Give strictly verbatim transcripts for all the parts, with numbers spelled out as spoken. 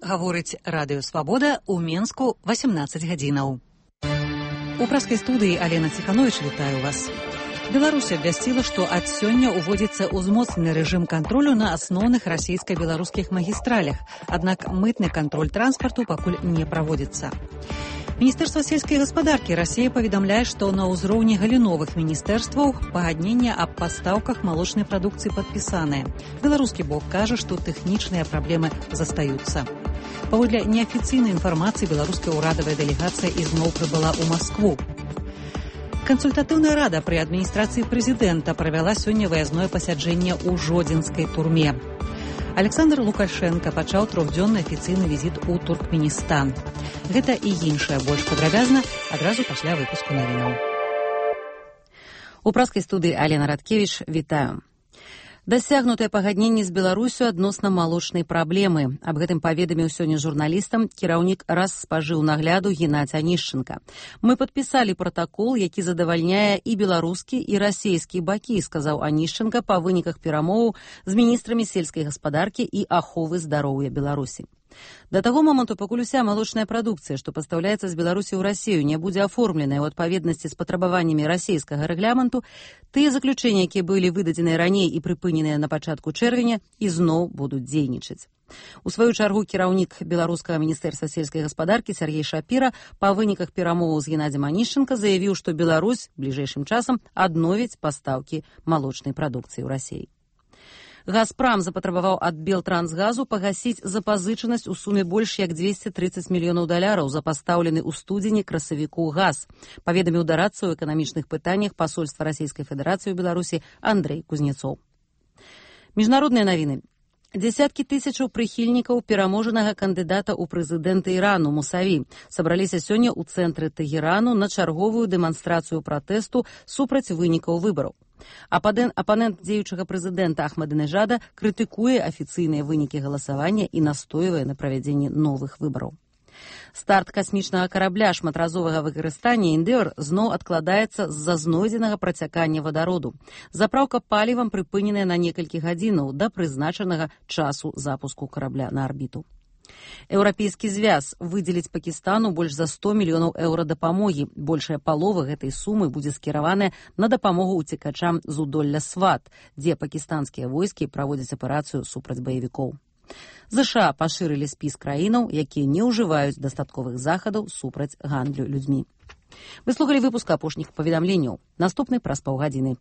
Гаворыць радыё Свабода ў Менску васямнаццаць гадзінаў. У праскай студыі Алена Ціхановіч, вітаю вас. Беларусь абвясціла, што ад сёння ўводзіцца ўзмоцнены рэжым кантролю на асноўных расійска-беларускіх магістралях, аднак мытны кантроль транспарту пакуль не праводзіцца. Міністэрства сельскай гаспадаркі Расіі паведамляе, што на ўзроўні галіновых міністэрстваў пагаднення аб пастаўках малочнай прадукцыі падпісаныя. Беларускі бок кажа, што тэхнічныя праблемы застаюцца. Паводле неафіцыйнай інфармацыі, беларуская ўрадавая дэлегацыя ізноў прыбыла ў Маскву. Кансультатыўная рада пры адміністрацыі прэзідэнта правяла сёння выязное пасяджэнне ў жодзінскай турме. Александр Лукашенко пачаў трохдзённы афіцыйны візіт у Туркменістан. Гэта і іншае больш падрабязна адразу пасля выпуску навінаў. У праскай студыі Алена Радкевіч, вітаю. Дасягнутыя пагадненні з Беларусю адносна малочнай праблемы. Аб гэтым паведаміў сёння журналістам кіраўнік Распажыўнагляду Геннадзь Анішченка. Мы падпісалі пратакол, які задавальняе і беларускі, і расійскі бакі, сказаў Анішченка па выніках перамоваў з міністрамі сельскай гаспадаркі і аховы здароўя Беларусі. Да таго моманту, пакуль уся малочная прадукцыя, што пастаўляецца з Беларусі ў Расію, не будзе аформленая ў адпаведнасці з патрабаваннямі расійскага рэгламенту, тыя заключэнні, якія былі выдадзеныя раней і прыпыненыя на пачатку чэрвеня, ізноў будуць дзейнічаць. У сваю чаргу кіраўнік беларускага міністэрства сельскай гаспадаркі Сяргей Шапіра па выніках перамоваў з Геннадзем Анішченка заявіў, што Беларусь бліжэйшым часам адновіць пастаўкі малочнай прадукцыі ў Расіі. Газпрам запатрабаваў ад Белтрансгазу пагасіць запазычанасць у суме больш як дзвесце трыццаць мільёнаў даляраў за пастаўлены ў студзені красавіку газ, паведаміў дарадца ў эканамічных пытаннях пасольства Расійскай Федэрацыі ў Беларусі Андрэй Кузнецоў. Міжнародныя навіны. Дзясяткі тысячаў прыхільнікаў пераможанага кандыдата ў прэзідэнты Ірану Мусаві сабраліся сёння ў цэнтры Тэгерану на чарговую дэманстрацыю пратэсту супраць вынікаў выбараў. Апанент дзеючага прэзідэнта Ахмадынежада крытыкуе афіцыйныя вынікі галасавання і настойвае на правядзенні новых выбараў. Старт касмічнага карабля шматразовага выкарыстання «Эндеор» зноў адкладаецца з-за знойдзенага працякання вадароду. Запраўка палівам прыпыненая на некалькі гадзінаў да прызначанага часу запуску карабля на арбіту. Еўрапейскі звяз выдзеліць Пакістану больш за сто мільёнаў еўра дапамогі. Большая палова гэтай сумы будзе скіраваная на дапамогу ўцекачам з удолля Сват, дзе пакістанскія войскі праводзяць аперацыю супраць баевікоў. ЗША пашырылі спіс краінаў, якія не ўжываюць дастатковых захадаў супраць гандлю людзьмі. Вы слухалі выпуск апошніх паведамленняў. Наступны праз паўгадзіны.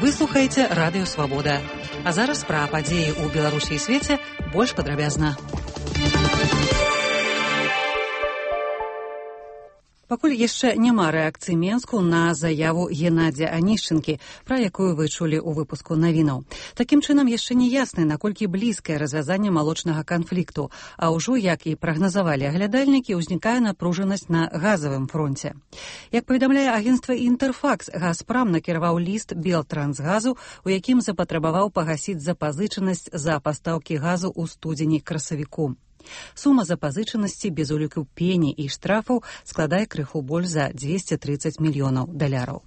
Вы слухаеце радыё Свабода. А зараз пра падзеі ў Беларусі і свеце больш падрабязна. Пакуль яшчэ няма рэакцыі Менску на заяву Геннадзя Анішчэнкі, пра якую вы чулі ў выпуску навінаў. Такім чынам яшчэ не ясна, наколькі блізкае развязанне малочнага канфлікту, а ўжо, як і прагназавалі аглядальнікі, узнікае напружанасць на газавым фронце. Як паведамляе агенцтва «Інтэрфакс», Газпрам накіраваў ліст Белтрансгазу, у якім запатрабаваў пагасіць запазычанасць за пастаўкі газу ў студзені красавіку. Сума запазычанасці без уліку пені і штрафаў складае крыху больш за дзвесце трыццаць мільёнаў даляраў.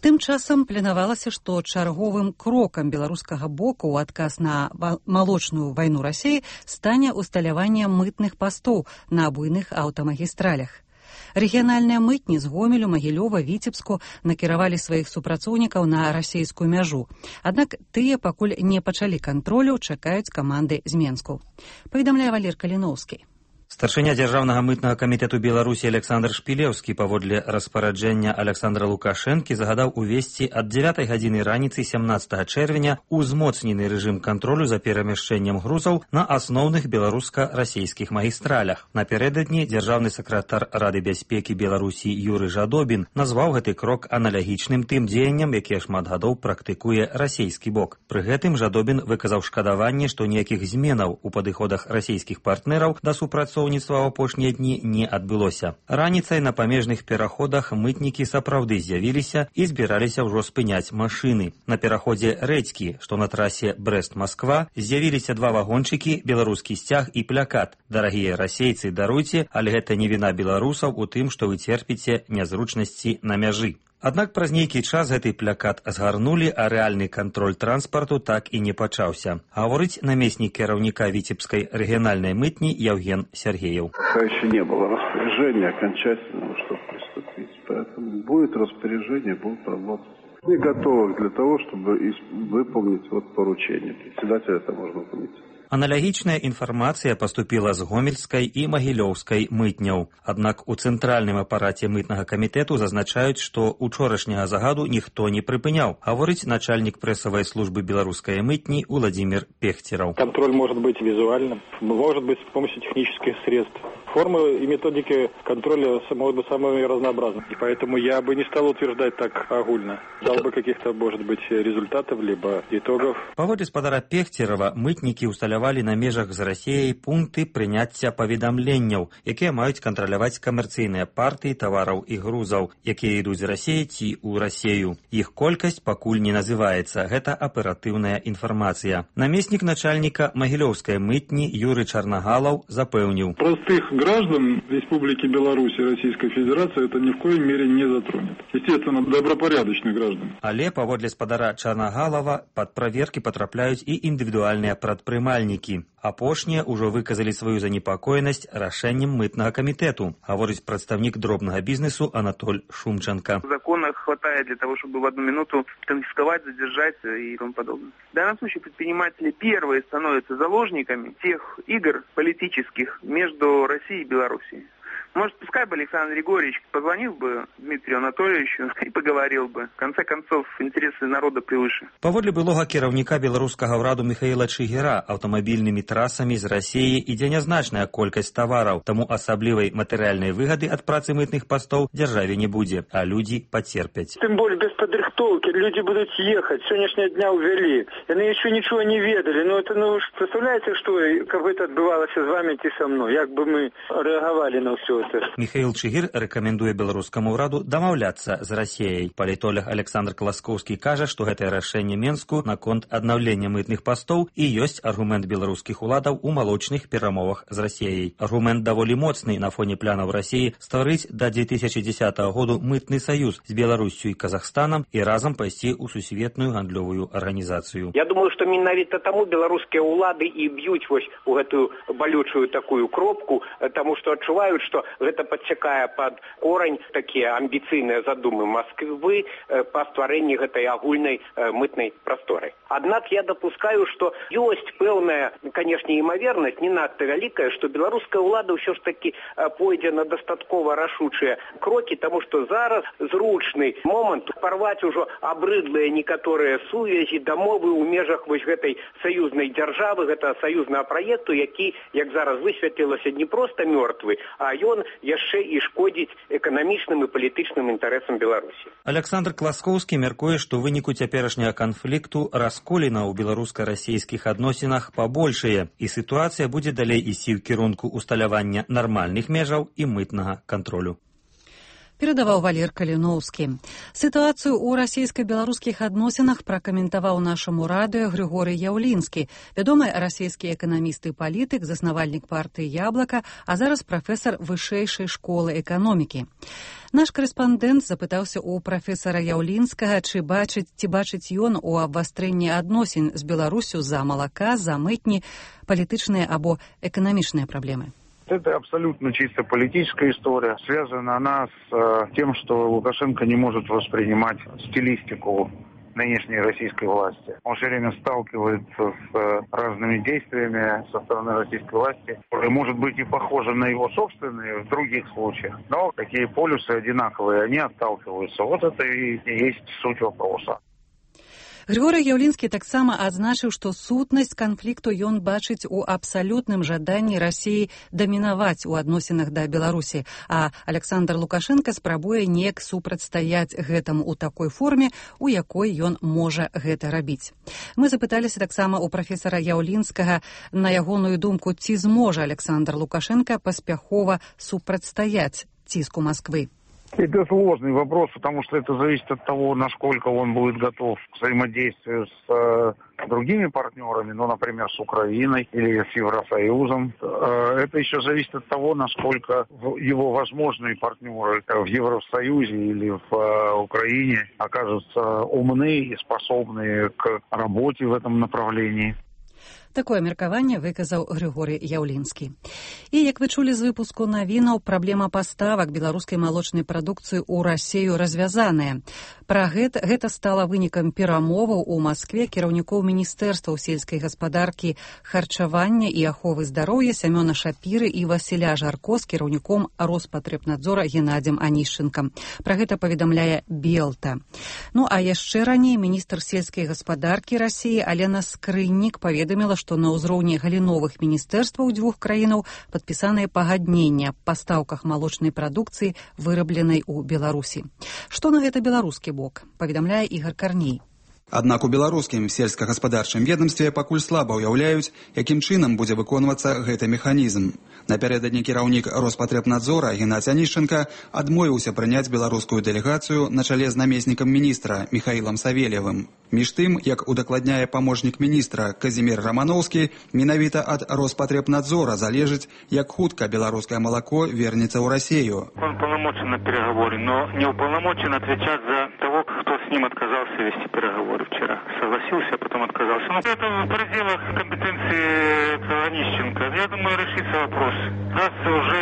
Тым часам планавалася, што чарговым крокам беларускага боку ў адказ на малочную вайну Расіі стане усталяванне мытных пастоў на буйных аўтамагістралях. Рэгіянальныя мытні з Гомелю, Магілёва, Віцебску накіравалі сваіх супрацоўнікаў на расійскую мяжу. Аднак тыя пакуль не пачалі кантролю, чакаюць каманды з Менску. Паведамляе Валер Каліноўскі. Старшыня дзяржаўнага мытнага камітэту Беларусі Александр Шпілеўскі паводле распараджэння Александра Лукашэнкі загадаў увесці ад дзевятай гадзіны раніцы сямнаццатага чэрвеня узмоцнены рэжым кантролю за перамяшчэннем грузаў на асноўных беларуска-расійскіх магістралях. Напярэдадні дзяржаўны сакратар Рады бяспекі Беларусі Юры Жадобін назваў гэты крок аналагічным тым дзеянням, якія шмат гадоў практыкуе расійскі бок. Пры гэтым Жадобін выказаў шкадаванне, што ніякіх зменаў у падыходах расійскіх партнераў да супрацоўніцтва ў апошнія дні не адбылося. Раніцай на памежных пераходах мытнікі сапраўды з'явіліся і збіраліся ўжо спыняць машыны. На пераходзе Рэдзькі, што на трасе Брэст-Масква, з'явіліся два вагончыкі, беларускі сцяг і плякат. Дарагія расейцы, даруйце, але гэта не віна беларусаў у тым, што вы церпіце нязручнасці на мяжы. Аднак праз нейкі час гэты плакат згарнулі, а рэальны кантроль транспарту так і не пачаўся. Гаворыць намеснік кіраўніка Віцебскай рэгіянальнай мытні Евген Сергеев. Еще не было распоряжения окончательного, чтобы приступить. Поэтому будет распоряжение, будут работать. Мы готовы для того, чтобы выполнить вот поручение. Председатель это можно выполнить. Аналагічная інфармацыя паступіла з гомельскай і магілёўскай мытняў. Аднак у цэнтральным апараце мытнага камітэту зазначаюць, што учорашняга загаду ніхто не прыпыняў, гаворыць начальнік прэсавай службы беларускай мытні Владимир Пехтеров. Контроль может быть визуальным, может быть с помощью технических средств. Формы и методики контроля могут быть самыми разнообразными. И поэтому я бы не стал утверждать так огульно. Дал бы каких-то, может быть, результатов, либо итогов. Паводле спадара Пехтерова, мытнікі ўсталявалі на межах з Расіяй пункты прыняцця паведамленняў, якія маюць кантраляваць камерцыйныя партыі тавараў і грузаў, якія ідуць з Расіі ці ў Расію. Іх колькасць пакуль не называецца. Гэта аператыўная інфармацыя. Намеснік начальніка магілёўскай мытні Юрый Чарнагалаў запэўніў. Простых граждан Республики Беларусь и Российской Федерации это ни в коей мере не затронет. Естественно, добропорядочных граждан. Але паводле спадара Чарнагалава пад праверкі патрапляюць і індывідуальныя прадпрымальнікі. Апошнія ўжо выказалі сваю занепакоенасць рашэннем мытнага камітэту, гаворыць прадстаўнік дробнага бізнесу Анатоль Шумченко. Закона хватает для того, чтобы в одну минуту конфисковать, задержать и тому подобное. В данном случае предприниматели первые становятся заложниками тех игр политических между Россией и Белоруссией. Может, пускай бы Александр Григорьевич позвонил бы Дмитрию Анатольевичу и поговорил бы. В конце концов, интересы народа превыше. Паводле былога кіраўніка беларускага ўраду Михаила Чигира, аўтамабільнымі трасамі з Расіі ідзе нязначная колькасць тавараў, таму асаблівай матэрыяльнай выгады ад працы мытных пастоў дзяржаве не будзе, а людзі пацерпяць. Тем более без падрыхтоўкі люди будут ехать. Сегодняшнего дня увели. Они еще ничего не ведали. Ну, это, ну, представляете, что, как бы это отбывалось с вами и со мной? Як бы мы реагировали на все? Михаил Чигир рэкамендуе беларускаму ўраду дамаўляцца з Расіяй. Палітолог Александр Класкоўскі кажа, што гэтае рашэнне Менску наконт аднаўлення мытных пастоў і ёсць аргумент беларускіх уладаў у малочных перамовах з Расіяй. Аргумент даволі моцны на фоне планаў Расіі стварыць да две тысячи десятого году мытны саюз з Беларуссю і Казахстанам і разам пайсці ў сусветную гандлёвую арганізацыю. Я думаю, што менавіта таму беларускія ўлады і б'юць вось у гэтую балючую такую кропку, таму што адчуваюць, што гэта падсякае пад корань такія амбіцыйныя задумы Масквы па стварэнні гэтай агульнай мытнай прасторы. Аднак я дапускаю, што ёсць пэўная, канешне, імавернасць, не надта вялікая, што беларуская ўлада ўсё ж такі пойдзе на дастаткова рашучыя крокі, таму што зараз зручны момант парваць ужо абрыдлыя некаторыя сувязі, дамовы ў межах вось гэтай саюзнай дзяржавы, гэта саюзнага праекту, які, як зараз высветлілася, не проста мёртвы, а ён яшчэ і шкодзіць эканамічным і палітычным інтарэсам Беларусі. Александр Класкоўскі мяркуе, што ў выніку цяперашняга канфлікту расколіна ў беларуска-расійскіх адносінах пабольшае, і сітуацыя будзе далей ісці ў кірунку усталявання нармальных межаў і мытнага кантролю. Перадаваў Валер Каліноўскі. Сітуацыю ў расійска-беларускіх адносінах пракаментаваў нашаму радыё Григорый Яўлінскі, вядомы расійскі эканаміст і палітык, заснавальнік партыі «Яблака», а зараз прафесар вышэйшай школы эканомікі. Наш корэспандэнт запытаўся ў прафесара Яўлінскага, ці бачыць, ці бачыць ён у абвастрэнні адносін з Беларусю за малака, за мытні, палітычныя або эканамічныя праблемы. Это абсолютно чисто политическая история. Связана она с э, тем, что Лукашенко не может воспринимать стилистику нынешней российской власти. Он все время сталкивается с э, разными действиями со стороны российской власти, которые, может быть, и похожи на его собственные в других случаях, но какие полюсы одинаковые, они отталкиваются. Вот это и есть суть вопроса. Григорый Яўлінскі таксама адзначыў, што сутнасць канфлікту ён бачыць у абсалютным жаданні Расіі дамінаваць у адносінах да Беларусі, а Александр Лукашенко спрабуе неяк супрацьстаяць гэтаму ў такой форме, у якой ён можа гэта рабіць. Мы запыталіся таксама ў прафесара Яўлінскага на ягоную думку, ці зможа Александр Лукашенко паспяхова супрацьстаяць ціску Масквы. Это сложный вопрос, потому что это зависит от того, насколько он будет готов к взаимодействию с э, другими партнерами, ну, например, с Украиной или с Евросоюзом. Э, это еще зависит от того, насколько его возможные партнеры в Евросоюзе или в э, Украине окажутся умны и способны к работе в этом направлении. Такое меркаванне выказаў Григорий Яўлінскі. І, як вы чулі з выпуску навінаў, праблема паставак беларускай малочнай прадукцыі ў Расею развязаная. Пра гэта, гэта стала вынікам перамоваў у Маскве кіраўнікоў міністэрстваў сельскай гаспадаркі, харчавання і аховы здароўя Сямёна Шапіры і Васіля Жарко з кіраўніком Роспатребнадзора Геннадзем Анішчынкам. Пра гэта паведамляе Белта. Ну, а яшчэ раней міністр сельскай гаспадаркі Расіі Алена Скрыннік паведаміла, што на ўзроўні галіновых міністэрстваў дзвюх краінаў падпісаныя пагаднення аб пастаўках малочнай прадукцыі, вырабленай у Беларусі. Што на гэта беларускі бок, паведамляе Ігар Карней. Аднак у беларускім сельскагаспадарчым ведомстве пакуль слаба ўяўляюць, якім чынам будзе выконвацца гэты механізм. Напярэдадні кіраўнік Роспатребнадзора Геннадзь Анішчынка адмовіўся прыняць беларускую дэлегацыю на чале з намеснікам міністра Міхаілам Савельевым. Між тым, як удакладняе памочнік міністра Казімір Раманоўскі, менавіта ад Роспатребнадзора залежыць, як хутка беларускае малако вернецца ў Расею. Он полномочен на переговоры, но не уполномочен отвечать за того, кто с ним отказался вести переговоры вчера. Согласился, а потом отказался. Но это в пределах компетенции Онищенко. Я думаю, решится вопрос. Раз уже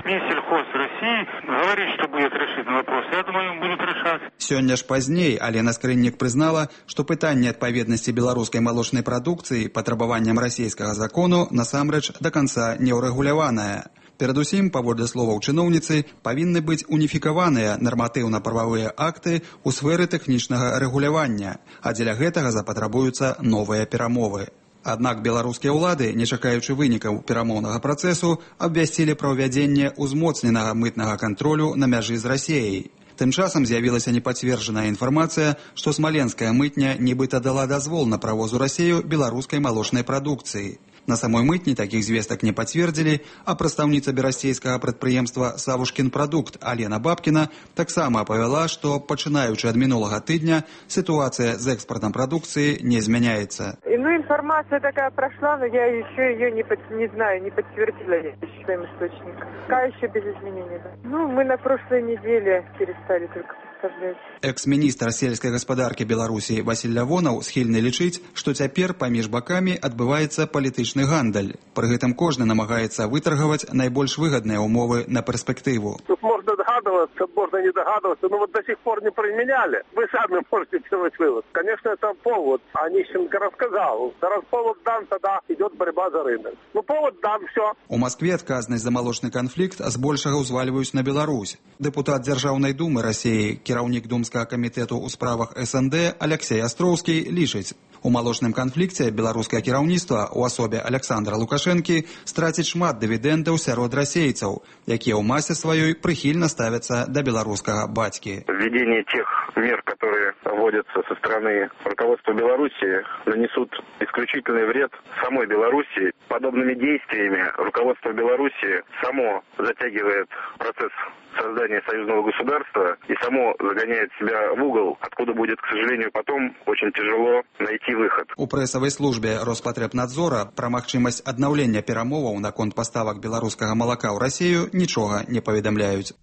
Минсельхоз России говорит, что будет решить вопрос, я думаю, он будет решать. Сёння ж пазней Алена Скрыннік прызнала, што пытанне адпаведнасці беларускай малочнай прадукцыі патрабаванням расійскага закону насамрэч да канца не ўрэгуляванае. Перадусім, паводле словаў чыноўніцы, павінны быць уніфікаваныя нарматыўна-прававыя акты ў сферы тэхнічнага рэгулявання, а дзеля гэтага запатрабуюцца новыя перамовы. Аднак беларускія ўлады, не чакаючы вынікаў перамоўнага працэсу, абвясцілі пра ўвядзенне ўзмоцненага мытнага кантролю на мяжы з Расеяй. Тым часам з'явілася непацверджаная інфармацыя, што смаленская мытня нібыта дала дазвол на правоз у Расею беларускай малочнай прадукцыі. На самой мытні такіх звестак не пацвердзілі, а прадстаўніца берасцейскага прадпрыемства «Савушкін прадукт» Алена Бабкіна таксама апавяла, што, пачынаючы ад минулага тыдня, ситуация с экспортом продукции не изменяется. Ну, информация такая прошла, но я еще ее не, под, не знаю, не подтвердила своим источником. Пока еще без изменений. Да. Ну, мы на прошлой неделе перестали только поставлять. Экс-міністр сельскай гаспадаркі Беларусі Васіль Лявонаў схільны лічыць, што цяпер паміж бакамі адбываецца палітычны гандаль. Пры гэтым кожны намагаецца вытаргаваць найбольш выгадныя умовы на перспектыву. Тут можно догадываться, можно не догадываться, но вот до сих пор не применяли. Вы сами можете сделать вывод. Конечно, это повод. Онищенко рассказал. Раз повод дан, тогда идет борьба за рынок. Ну, повод дан, все. У Москве адказнасць за малочны канфлікт збольшага ўзвальваюць на Беларусь. Депутат Дзяржаўнай думы Расіі, кіраўнік Думскага камітэту ў справах эс эн дэ Алексей Астроўскі лічыць, у малочным канфлікце беларускае кіраўніцтва у асобе Александра Лукашэнкі страціць шмат дывідэндаў сярод расейцаў, якія ў масе сваёй прыхільна ставяцца да беларускага бацькі. Введение тех мер, которые вводятся со стороны руководства Беларуси, нанесут исключительный вред самой Беларуси. Подобными действиями руководство Беларуси само затягивает процесс создания союзного государства и само загоняет себя в угол, откуда будет, к сожалению, потом очень тяжело найти выход. У прэсавай службе Роспатребнадзора пра магчымасць аднаўлення перамоваў наконт паставак беларускага малака ў Расію нічога не паведамляюць.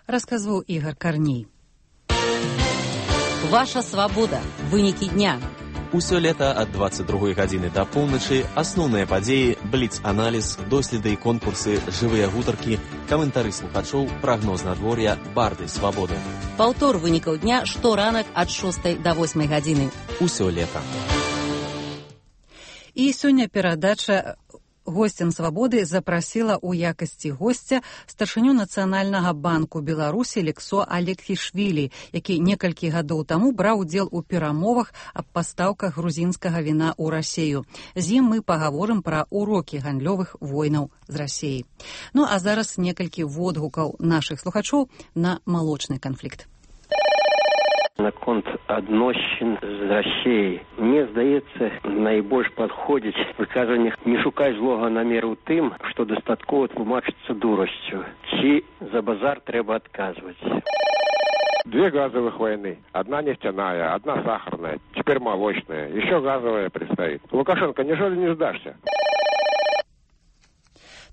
Расказваў Ігар Карней. Ваша свабода. Вынікі дня. Усё лета ад двадцать другой гадзіны да поўначы асноўныя падзеі, бліц-аналіз, доследы і конкурсы, жывыя гутаркі, каментары слухачоў, прагноз надвор'я, барды свабоды. Паўтор вынікаў дня шторанак ад шостай да восьмай гадзіны. Усё лета. І сёння перадача госцям свабоды запрасіла ў якасці госця старшыню Нацыянальнага банку Беларусі Лексо Алексішвілі, які некалькі гадоў таму браў удзел у перамовах аб пастаўках грузінскага віна ў Расею. З ім мы пагаворым пра урокі гандлёвых войнаў з Расеяй. Ну а зараз некалькі водгукаў нашых слухачоў на малочны канфлікт. Наконт адносін з Расіяй. Мне здаецца, найбольш падходзіць выказванне «не шукай злога намеру тым, што дастаткова тлумачыцца дурасцю». Ці за базар трэба адказваць. Две газовых войны. Одна нефтяная, одна сахарная, теперь молочная. Еще газовая предстоит. Лукашенко, неужели не сдашься?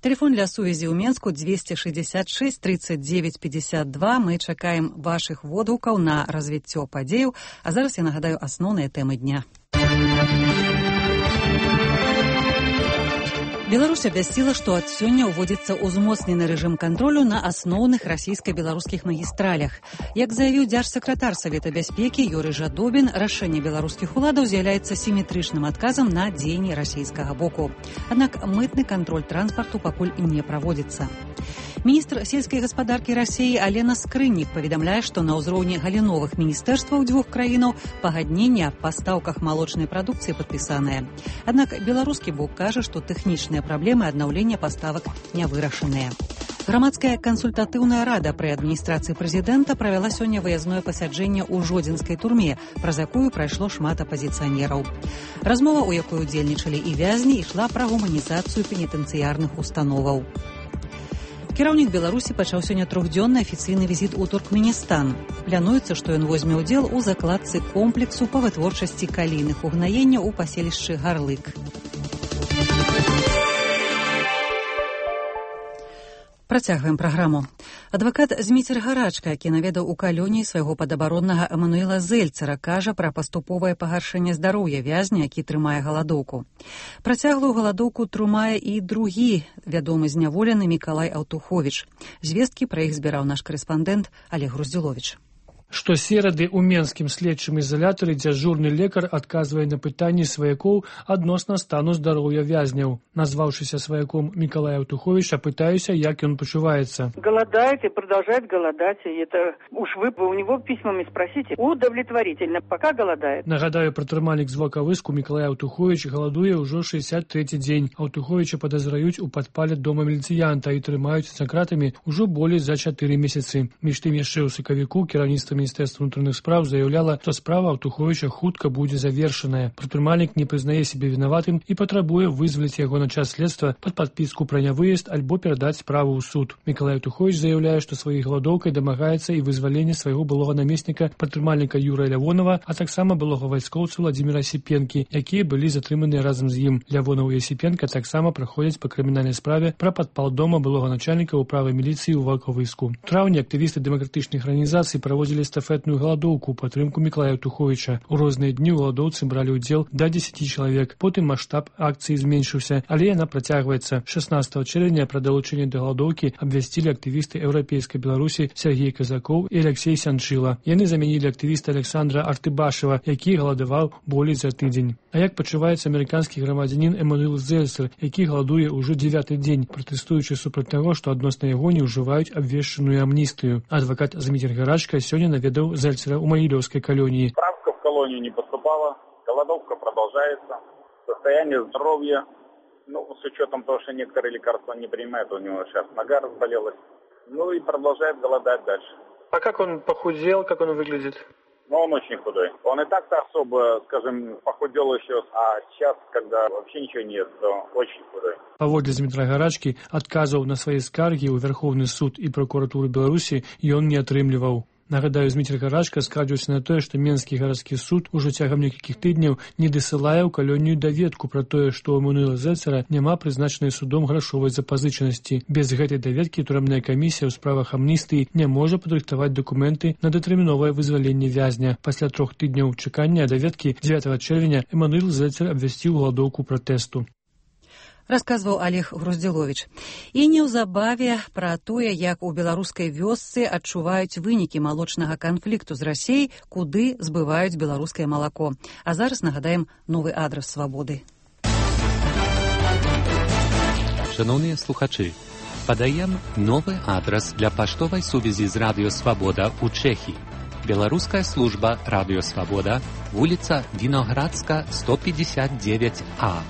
Телефон для сувязі ў Менску двести шестьдесят шесть тридцать девять пятьдесят два. Мы чакаем вашых водгукаў на развіццё падзеяў. А зараз я нагадаю асноўныя тэмы дня. Беларусь абвясціла, што ад сёння ўводзіцца ўзмоцнены рэжым кантролю на асноўных расійска-беларускіх магістралях. Як заявіў дзяржсакратар Савета бяспекі Юрый Жадобін, рашэнне беларускіх уладаў з'яўляецца сіметрычным адказам на дзеянні расійскага боку. Аднак мытны кантроль транспарту пакуль не праводзіцца. Міністр сельскай гаспадаркі Расіі Алена Скрыннік паведамляе, што на ўзроўні галіновых міністэрстваў дзвюх краінаў пагадненне аб пастаўках малочнай прадукцыі падпісанае. Аднак беларускі бок кажа, што тэхнічныя праблемы аднаўлення паставак не вырашаныя. Грамадская кансультатыўная рада пры адміністрацыі прэзідэнта правяла сёння выязное пасяджэнне ў жодзінскай турме, праз якую прайшло шмат апазіцыянераў. Размова, у якой удзельнічалі і вязні, ішла пра гуманізацыю пенітэнцыярных установаў. Кіраўнік Беларусі пачаў сёння трохдзённы афіцыйны візіт у Туркменістан. Плануецца, што ён возьме ўдзел у закладцы комплексу па вытворчасці калійных угнаенняў у паселішчы Гарлык. Працягваем праграму. Адвакат Зміцер Гарачка, які наведаў у калоніі свайго падабароннага Эмануэла Зельцера, кажа пра паступовае пагаршэнне здароўя вязня, які трымае галадоўку. Працяглую галадоўку трымае і другі вядомы зняволены Мікалай Аўтуховіч. Звесткі пра іх збіраў наш карэспандэнт Олег Груздзіловіч. Штосерады ў менскім следчым ізалятары дзяжурны лекар адказвае на пытанні сваякоў адносна стану здароўя вязняў. Назваўшыся сваяком Мікалая Аўтуховіча, пытаюся, як ён пачуваецца. Голодает и продолжает голодать. И это уж вы у него письмами спросите. Удовлетворительно, пока голодает. Нагадаю, прадпрымальнік з Волковыску Мікалай Аўтуховіч галадуе ўжо шэсцьдзясят трэці дзень. Аўтуховіча падазраюць у падпале дома міліцыянта і трымаюць за кратамі ўжо болей за чатыры месяцы. Між тым яшчэ ў сакавіку кіраўніцтва Міністэрства ўнутраных спраў заяўляла, што справа Аўтуховіча хутка будзе завершаная. Прадпрымальнік не прызнае сябе вінаватым і патрабуе вызваліць яго на час следства пад падпіску пра нявыезд альбо перадаць справу ў суд. Мікалай Аўтуховіч заяўляе, што сваёй галадоўкай дамагаецца і вызвалення свайго былога намесніка прадпрымальніка Юрыя Лявонова, а таксама былога вайскоўца Владзіміра Сіпенкі, якія былі затрыманыя разам з ім. Лявонаў і Сіпенка таксама праходзяць па крымінальнай справе пра падпал дома былога начальніка ўправы міліцыі ў Волковыску. У траўні актывісты дэмакратычных арганізацый праводзілі эстафетную галадоўку ў падтрымку Мікалая Аўтуховіча. У розныя дні ў галадоўцы бралі ўдзел да дзесяці чалавек. Потым маштаб акцыі зменшыўся, але яна працягваецца. шаснаццатага чэрвеня пра далучэнне да галадоўкі абвясцілі актывісты еўрапейскай Беларусі Сергей Казакоў і Алексей Сянчыла. Яны замянілі актывіста Александра Артыбашева, які галадаваў болей за тыдзень. А як пачуваецца амерыканскі грамадзянін Эмануэл Зельцер, які галадуе ўжо дзевяты дзень, пратэстуючы супраць таго, што адносна яго не ўжываюць абвешчаную амністыю. Адвакат Зміцер Гарачка сёння наведаў Зельцера ў Магілёўскай калоніі. Справка в колонию не поступала, голодовка продолжается, состояние здоровья, ну, с учетом того, что некоторые лекарства не принимает, у него сейчас нога разболелась, ну и продолжает голодать дальше. А как он похудел, как он выглядит? Ну, он очень худой. Он и так-то особо, скажем, похудел еще, а сейчас, когда вообще ничего нет, то очень худой. Паводле Змітра Гарачкі, адказаў на свае скаргі ў Верховны суд і прокуратуру Беларусі ён не атрымліваў. Нагадаю, Змітр Гарачка скардзіўся на тое, што Менскі гарадскі суд ужо цягам некалькіх тыдняў не дасылае ў калонію даведку пра тое, што ў Эмануэла Зельцера няма прызначанай судом грашовай запазычанасці. Без гэтай даведкі турэмная камісія ў справах амністыі не можа падрыхтаваць дакументы на датэрміновае вызваленне вязня. Пасля трох тыдняў чакання даведкі дзевятага чэрвеня Эмануэл Зельцер абвясціў галадоўку пратэсту. Расказваў Олег Груздзіловіч. І неўзабаве пра тое, як у беларускай вёсцы адчуваюць вынікі малочнага канфлікту з Расіяй, куды збываюць беларускае малако. А зараз нагадаем новы адрас Свабоды. Шановныя слухачы, падаем новы адрас для паштовай сувязі з Радыё Свабода ў Чэхіі. Беларуская служба Радыё Свабода, вуліца Віноградска, сто пятьдесят девять А.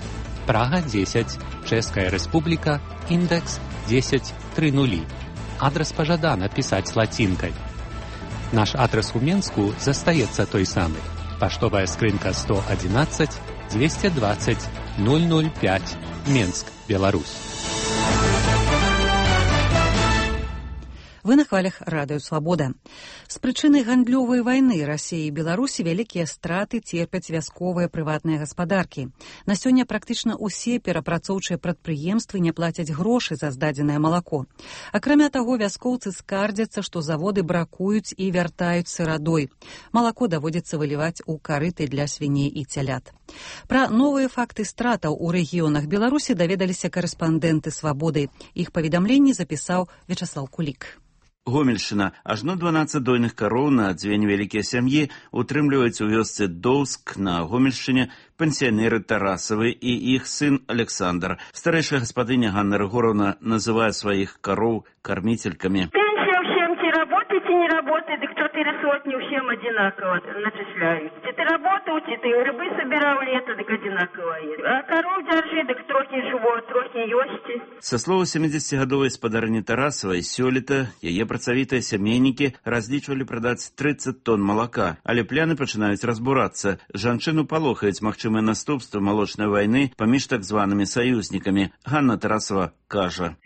Прага дзесяць, Чэшская Рэспубліка, індэкс дзесяць тры нулі. Адрас пажадана пісаць лацінкай. Наш адрес у Менску застаецца той самы. Паштовая скрынка сто одиннадцать двести двадцать ноль ноль пять, Менск, Беларусь. Вы на хвалях радыё «Свабода». З прычыны гандлёвай вайны Расіі і Беларусі вялікія страты церпяць вясковыя прыватныя гаспадаркі. На сёння практычна ўсе перапрацоўчыя прадпрыемствы не плацяць грошы за здадзенае малако. Акрамя таго, вяскоўцы скардзяцца, што заводы бракуюць і вяртаюць сырадой. Малако даводзіцца выліваць у карыты для свіней і цялят. Пра новыя факты стратаў у рэгіёнах Беларусі даведаліся карэспандэнты «Свабоды». Іх паведамленні запісаў Вячаслаў Кулік. Гомельшчына. Ажно дванаццаць дойных кароў на дзве невялікія сям'і утрымліваюць у вёсцы Доўск на Гомельшчыне пенсіянеры Тарасавы і іх сын Александр. Старэйшая гаспадыня Ганна Рыгоровна называе сваіх кароў кармителькамі. Пенсия всем, те работают, те не работают, и четыре сотни всем одинаково начисляют. Те ты работал, те ты грибы собирал лето, так одинаково есть. А коров держи, так трохи живот, трохи ёсти. Са слова сямидзесяцігадовай спадарні Тарасавай, сёлета яе працавітыя сямейнікі разлічвалі прадаць трыццаць тонн малака, але пляны пачынаюць разбурацца. Жанчыну палохаюць магчымыя наступствы малочнай вайны паміж так званымі саюзнікамі. Ганна Тарасава кажа.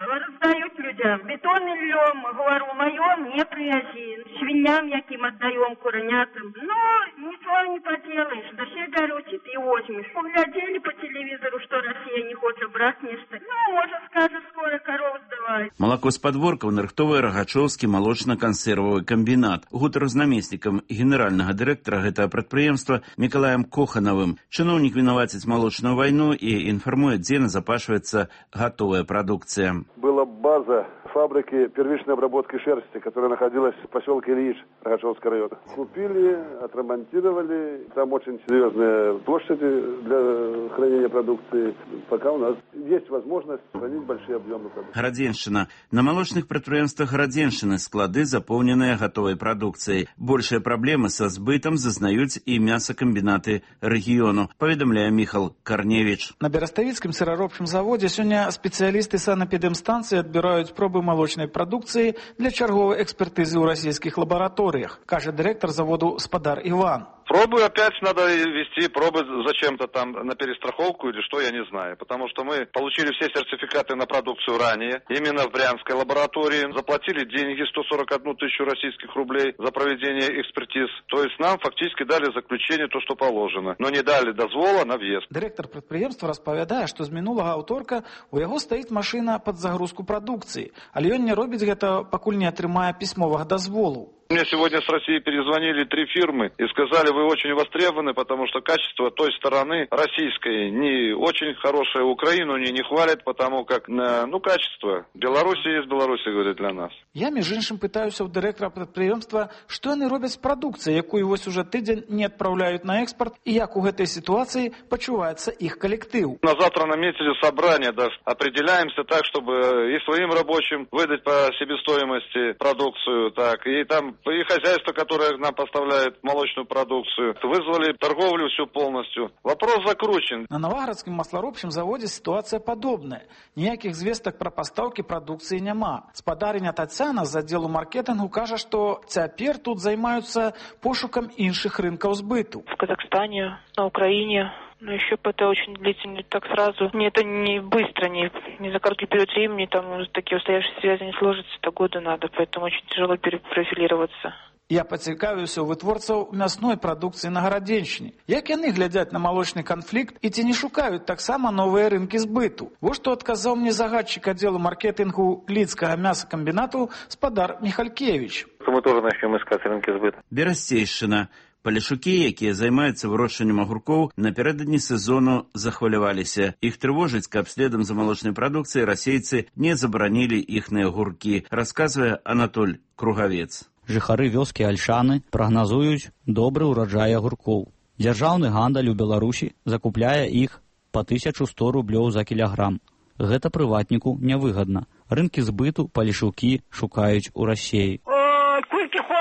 Раздают людям. Бетон и льем, говорю, мое не привези. Свиньям яким отдаем, куронятам. Но ничего не поделаешь. Да все горючие ты возьмешь. Поглядели по телевизору, что Россия не хочет брать нечто. Ну, может, скажет, скоро коров сдавай. Малако з падворкаў нарыхтовае Рагачоўскі малочна-кансервавы камбінат. Гутар з намеснікам генеральнага дырэктара гэтага прадпрыемства Мікалаем Коханавым. Чыноўнік вінаваціць малочную вайну і інфармуе, дзе назапашваецца гатовая прадукцыя. Была база фабрики первичной обработки шерсти, которая находилась в поселке Ильич Рогачевского района. Купили, отремонтировали. Там очень серьезные площади для хранения продукции. Пока у нас есть возможность хранить большие объемы продукции. Гарадзеншчына. На малочных прадпрыемствах Гарадзеншчыны склады запоўненыя гатовай прадукцыяй. Большыя праблемы са збытам зазнаюць і мясакамбінаты рэгіёну, паведамляе Міхал Карневіч. На Бераставіцкім сыраробчым заводзе сёння спецыялісты санэпідэмстанцыі адбіраюць пробы молочной продукции для черговой экспертизы у российских лабораториях, кажет директор заводу Спадар Иван. Пробы опять надо вести, пробы зачем-то там на перестраховку или что, я не знаю. Потому что мы получили все сертификаты на продукцию ранее, именно в Брянской лаборатории. Заплатили деньги сто сорок одну тысячу российских рублей за проведение экспертиз. То есть нам фактически дали заключение, то, что положено. Но не дали дозвола на въезд. Директор предприемства распавядае, что з мінулага аўторка у яго стаіць машина под загрузку продукции. Але ён не робіць гэта, пакуль не атрымае пісьмовых дазволаў. Мне сегодня с России перезвонили три фирмы и сказали, вы очень востребованы, потому что качество той стороны российской не очень хорошее. Украину не, не хвалят, потому как, ну, качество. Беларуси есть Беларуси, говорит, для нас. Я, між іншым, пытаюся у дырэктара прадпрыемства, што яны робяць з прадукцыяй, якую вось уже тыдзень не адпраўляюць на экспорт, і як у гэтай ситуации пачуваецца іх коллектив. На завтра наметили собрание, да, определяемся так, чтобы и своим рабочим выдать по себестоимости продукцию, так, и там и хозяйство, которое нам поставляет молочную продукцию. Вызвали торговлю всю полностью. Вопрос закручен. На Новоградском маслоробчым заводе ситуация подобная. Ніяких звесток про поставки продукции няма. Спадарыня Тацяна з аддзелу маркетингу кажа, что цяпер тут займаются пошуком іншых рынков сбыту. В Казахстане, на Украине. Но еще это очень длительно, так сразу. Не, это не быстро, не, не за короткий период времени, там такие устоявшиеся связи не сложатся, это годы надо, поэтому очень тяжело перепрофилироваться. Я пацікавіўся ў вытворцаў мясной прадукцыі на Гарадзеншчыне. Як яны глядзяць на малочны канфлікт і ці не шукаюць таксама новыя рынкі збыту? Вось што адказаў мне загадчык аддзелу маркетингу Лідскага мясакамбінату Спадар Михалькевич. Мы тоже начнем искать рынки сбыта. Берасцейшчына. Палешукі, якія займаюцца вырошчваннем агуркоў, напярэдадні сезону захваляваліся. Іх трывожыць, каб следам за малочнай прадукцыяй расейцы не забаранілі іхныя агуркі, расказвае Анатоль Кругавец. Жыхары вёскі Альшаны прагназуюць добры ўраджай агуркоў. Дзяржаўны гандаль у Беларусі закупляе іх па тысячу сто рублёў за кілаграм. Гэта прыватніку нявыгадна. Рынкі збыту палешукі шукаюць у Расіі.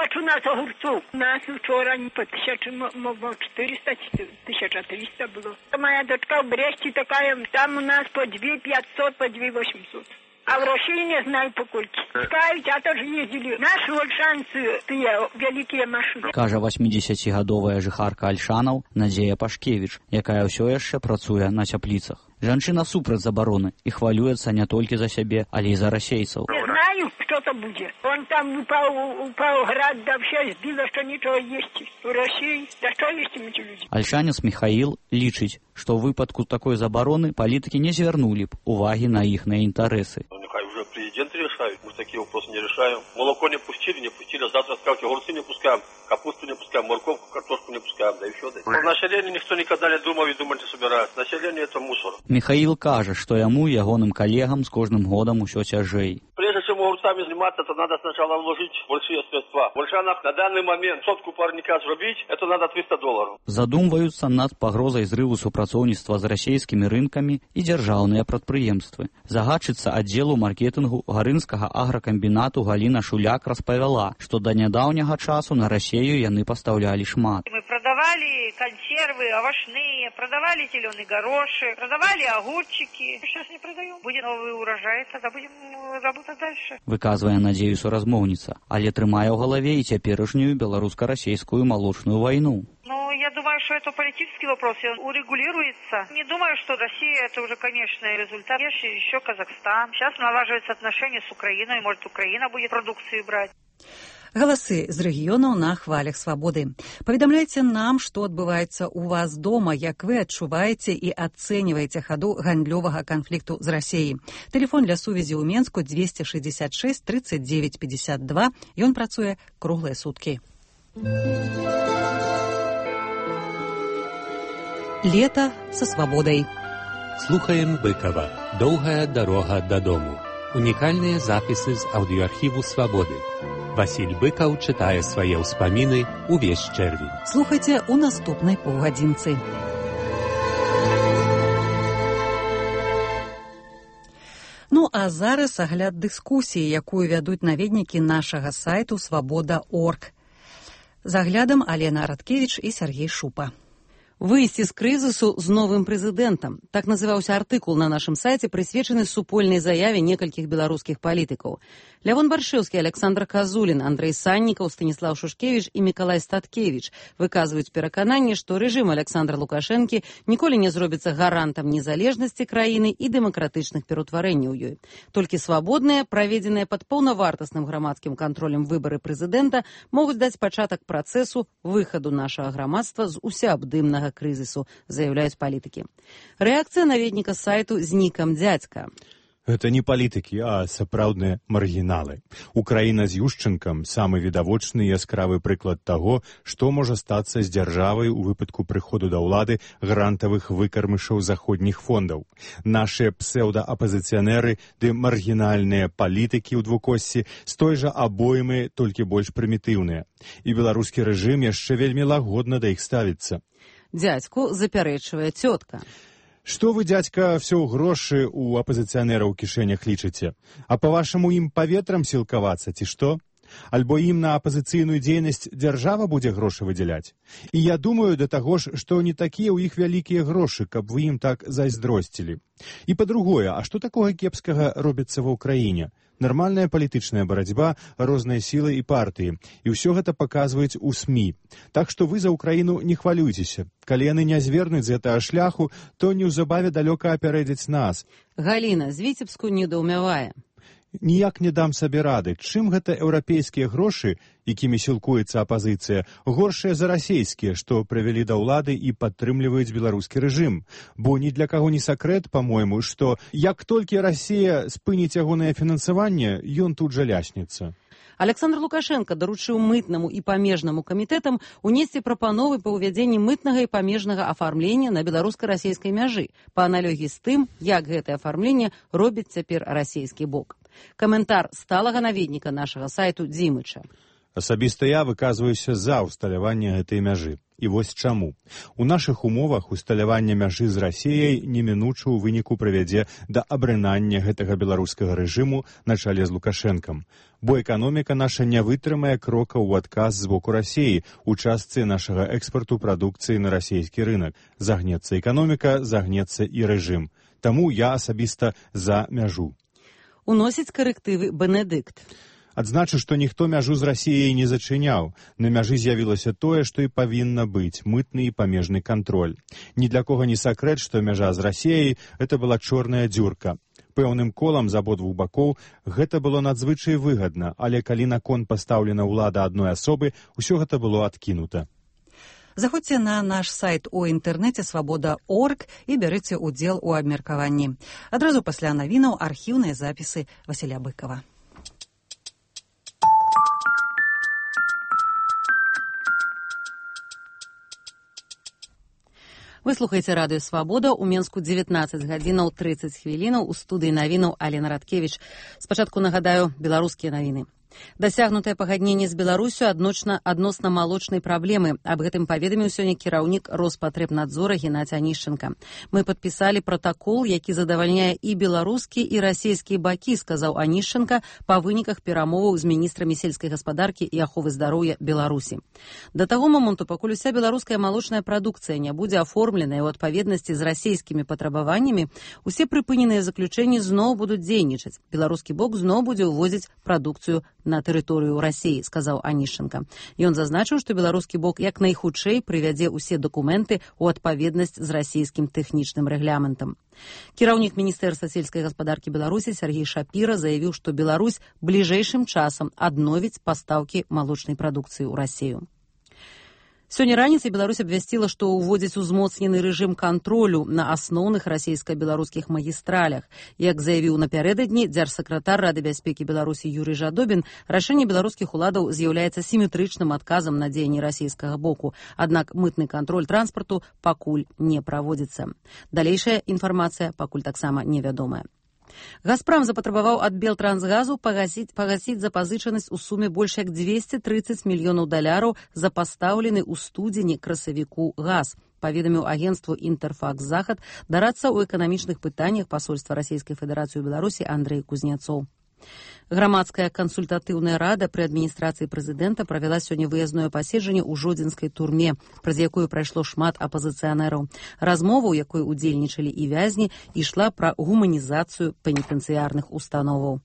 У нас огурцов. У нас вчора по тысяче, четыреста, тысяча триста было. Моя дочка в Бресте такая, там у нас по две пятьсот, по две восемьсот. А в России не знаю покольки. Пускают, а тоже ездили. Наши вольшанцы, тыя великие машины. Кажа восьмідзесяцігадовая жыхарка Альшанаў Надзея Пашкевіч, якая ўсё яшчэ працуе на цяпліцах. Жанчына супраць забароны і хвалюецца не толькі за сябе, але і за расейцаў. Не знаю, что-то будет. Он там упал, упал град, да все сбило, что ничего есть в России. Да что есть им эти люди? Альшанец Михаил лічыць, што ў выпадку такой забароны палітыкі не звярнулі б увагі на іхныя інтарэсы. Уже президент решает, мы такие вопросы не решаем. Молоко не пустили, не пустили, а завтра скажете, огурцы не пускаем, капусту не пускаем, морковку, картошку не пускаем, да и все. Да. Про население никто никогда не думал и думать не собирается. Население это мусор. Михаил кажа, што яму і ягоным калегам з кожным годам усё цяжэй. Прежде чем огурцами заниматься, то надо сначала вложить большие средства. В Ольшанах на данный момент сотку парника зробить, это надо триста долларов. Задумваюцца над пагрозай зрыву супрацоўніцтва з расійскімі рынкамі і дзяржаўныя прадпрыемствы. Загадчыца аддзелу маркетынгу гарынскага агракамбінату Галіна Шуляк распавяла, што да нядаўняга часу на Расею яны пастаўлялі шмат. Мы продавали консервы овощные, продавали зеленый горошек, продавали огурчики. Сейчас не продаем. Будет новый урожай, тогда будем работать дальше. Выказвае надзею суразмоўніца, але трымае ў галаве і цяперашнюю беларуска-расейскую малочную вайну. Ну, я думаю, что это политический вопрос, и он урегулируется. Не думаю, что Россия это уже конечный результат. Есть еще Казахстан. Сейчас налаживаются отношения с Украиной, может, Украина будет продукцию брать. Галасы з рэгіёнаў на хвалях свабоды. Паведамляйце нам, што адбываецца ў вас дома, як вы адчуваеце і ацэньваеце хаду гандлёвага канфлікту з Расеяй. Тэлефон для сувязі ў Менску двести шестьдесят шесть тридцать девять пятьдесят два. Ён працуе круглыя суткі. Лето со свободой. Слухаем Быкова. Долгая дорога додому. Унікальныя запісы з аўдыоархіву «Свабоды». Васіль Быкаў чытае свае ўспаміны ўвесь чэрвень. Слухайце ў наступнай паўгадзінцы. Ну, а зараз агляд дыскусіі, якую вядуць наведнікі нашага сайту свабода точка орг. З аглядам Алена Радкевіч і Сергей Шупа. Выйсці з крызісу з новым прэзідэнтам. Так называўся артыкул на нашым сайце, прысвечаны супольнай заяве некалькіх беларускіх палітыкаў. Лявон Баршэўскі, Александр Казулін, Андрэй Саннікаў, Станіслаў Шушкевіч і Мікалай Статкевіч выказваюць перакананне, што рэжым Александра Лукашэнкі ніколі не зробіцца гарантам незалежнасці краіны і дэмакратычных пераўтварэнняў ёй. Толькі свабодныя, праведзеныя пад паўнавартасным грамадскім кантролем выбары прэзідэнта могуць даць пачатак працэсу выхаду нашага грамадства з усеабдымнага крызісу, заяўляюць палітыкі. Рэакцыя наведніка сайту з нікам «Дзядзька». Гэта не палітыкі, а сапраўдныя маргіналы. Украіна з Юшчэнкам самы відавочны і яскравы прыклад таго, што можа стацца з дзяржавай у выпадку прыходу да ўлады грантавых выкармышаў заходніх фондаў. Нашыя псеўдаапазіцыянеры ды маргінальныя палітыкі ў двукоссі з той жа абоймы, толькі больш прымітыўныя. І беларускі рэжым яшчэ вельмі лагодна да іх ставіцца. Дзядзьку запярэчвае цётка. Што вы, дзядзька, все ў грошы ў апазіцыянераў у кішэнях лічыце? А па-вашаму ім паветрам сілкавацца, ці што? Альбо ім на апазіцыйную дзейнасць дзяржава будзе грошы выдзяляць? І я думаю да таго ж, што не такія ў іх вялікія грошы, каб вы ім так зайздросцілі. І па-другое, а што такога кепскага робіцца ва ўкраіне? Нармальная палітычная барацьба, розныя сілы і партыі. І ўсё гэта паказваюць у СМІ. Так што вы за Украіну не хвалюйцеся. Калі яны не звернуць з гэтага шляху, то неўзабаве далёка апярэдзяць нас. Галіна з Віцебску недаўмявае. Ніяк не дам сабе рады, чым гэта еўрапейскія грошы, якімі сілкуецца апазіцыя, горшыя за расейскія, што прывялі да ўлады і падтрымліваюць беларускі рэжым. Бо ні для каго не сакрэт, па-мойму, што як толькі Расія спыніць ягонае фінансаванне, ён тут жа ляснецца. Александр Лукашенко даручыў мытнаму і памежнаму камітэтам унесці прапановы па ўвядзенні мытнага і памежнага афармлення на беларуска-расейскай мяжы, па аналогіі з тым, як гэтае афармленне робіць цяпер расейскі бок. Каментар сталага наведніка нашага сайту Дзімыча. Асабіста я выказваюся за ўсталяванне гэтай мяжы. І вось чаму. У нашых умовах усталяванне мяжы з Расіяй немінуча ў выніку прывядзе да абрынання гэтага беларускага рэжыму на чале з Лукашэнкам. Бо эканоміка наша не вытрымае крока ў адказ з боку Расіі у частцы нашага экспарту прадукцыі на расійскі рынак. Загнецца эканоміка, загнецца і рэжым. Таму я асабіста за мяжу. Уносіць карэктывы Бенедыкт. Адзначу, што ніхто мяжу з Расіяй не зачыняў. На мяжы з'явілася тое, што і павінна быць — мытны і памежны кантроль. Ні для кого не сакрэт, што мяжа з Расіяй — гэта была чорная дзюрка. Пэўным колам з абодвух бакоў гэта было надзвычай выгадна, але калі на кон пастаўлена ўлада адной асобы, усё гэта было адкінута. Заходзьце на наш сайт у інтэрнэце свабода крапка орг і бярыце ўдзел у абмеркаванні. Адразу пасля навінаў архіўныя запісы Васіля Быкова. Вы слухаеце радыё «Свабода». У Менску дзевятнаццаць гадзінаў трыццаць хвілінаў. У студыі навінаў Алена Радкевіч. Спачатку нагадаю беларускія навіны. Дасягнутае пагадненне з Беларусю адносна адносна малочнай праблемы. Аб гэтым паведаміў сёння кіраўнік Роспатребнадзора Геннадзь Анішченка. Мы падпісалі пратакол, які задавальняе і беларускі, і расійскія бакі, сказаў Анішченка па выніках перамоваў з міністрамі сельскай гаспадаркі і аховы здароўя Беларусі. Да таго моманту, пакуль уся беларуская малочная прадукцыя не будзе аформленая ў адпаведнасці з расійскімі патрабаваннямі, усе прыпыненыя заключэнні зноў будуць дзейнічаць. Беларускі бок зноў будзе ўвозіць прадукцыю на тэрыторыю Расіі, сказаў Анішченка. Ён зазначыў, што беларускі бок як найхутчэй прывядзе ўсе дакументы ў адпаведнасць з расійскім тэхнічным рэгламентам. Кіраўнік міністэрства сельскай гаспадаркі Беларусі Сергей Шапіра заявіў, што Беларусь бліжэйшым часам адновіць пастаўкі малочнай прадукцыі ў Расію. Сёння раніцай Беларусь абвясціла, што ўводзіць узмоцнены рэжым кантролю на асноўных расійска-беларускіх магістралях. Як заявіў напярэдадні дзяржсакратар Рады бяспекі Беларусі Юрый Жадобін, рашэнне беларускіх уладаў з'яўляецца сіметрычным адказам на дзеянні расійскага боку. Аднак мытны кантроль транспарту пакуль не праводзіцца. Далейшая інфармацыя пакуль таксама невядомая. Газпрам запатрабаваў ад Белтрансгазу пагасіць, пагасіць запазычанасць у суме больш як дзвесце трыццаць мільёнаў даляраў за пастаўлены ў студзені красавіку газ, паведаміў агенцтву «Інтэрфакс Захад» дарадца ў эканамічных пытаннях пасольства Расійскай Федэрацыі ў Беларусі Андрэй Кузняцоў. Грамадская кансультатыўная рада пры адміністрацыі прэзідэнта правяла сёння выязное паседжанне ў жодзінскай турме, праз якую прайшло шмат апазіцыянераў. Размова, у якой удзельнічалі і вязні, ішла пра гуманізацыю пенітэнцыярных установаў.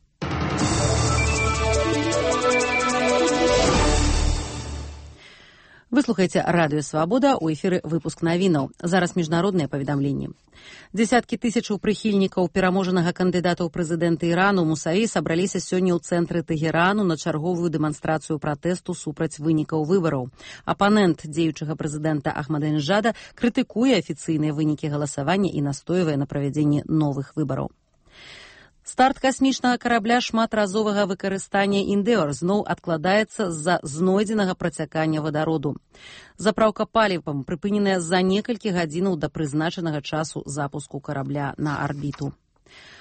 Вы слухаеце радыё «Свабода», у эфіры выпуск навінаў. Зараз міжнародныя паведамленні. Дзесяткі тысячаў прыхільнікаў пераможанага кандыдата ў прэзідэнты Ірану Мусаі сабраліся сёння ў цэнтры Тэгерану на чарговую дэманстрацыю пратэсту супраць вынікаў выбараў. Апанент дзеючага прэзідэнта Ахмадынеджада крытыкуе афіцыйныя вынікі галасавання і настойвае на правядзенні новых выбараў. Старт касмічнага карабля шматразовага выкарыстання «Індеор» зноў адкладаецца з-за знойдзенага працякання вадароду. Запраўка палівам прыпыненая за некалькі гадзінаў да прызначанага часу запуску карабля на арбіту.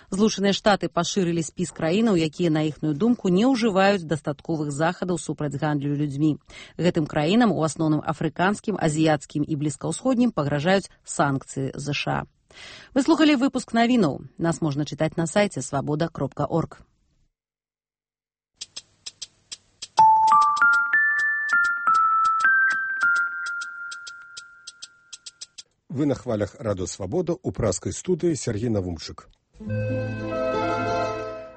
Злучаныя Штаты пашырылі спіс краінаў, якія, на іхную думку, не ўжываюць дастатковых захадаў супраць гандлю людзьмі. Гэтым краінам, у асноўным афрыканскім, азіяцкім і блізкаўсходнім, пагражаюць санкцыі ЗША. Вы слухали выпуск навінаў. Нас можна чытаць на сайце свабода крапка орг. Вы на хвалях радыё «Свабода» у праскай студыі Сергей Навумчык.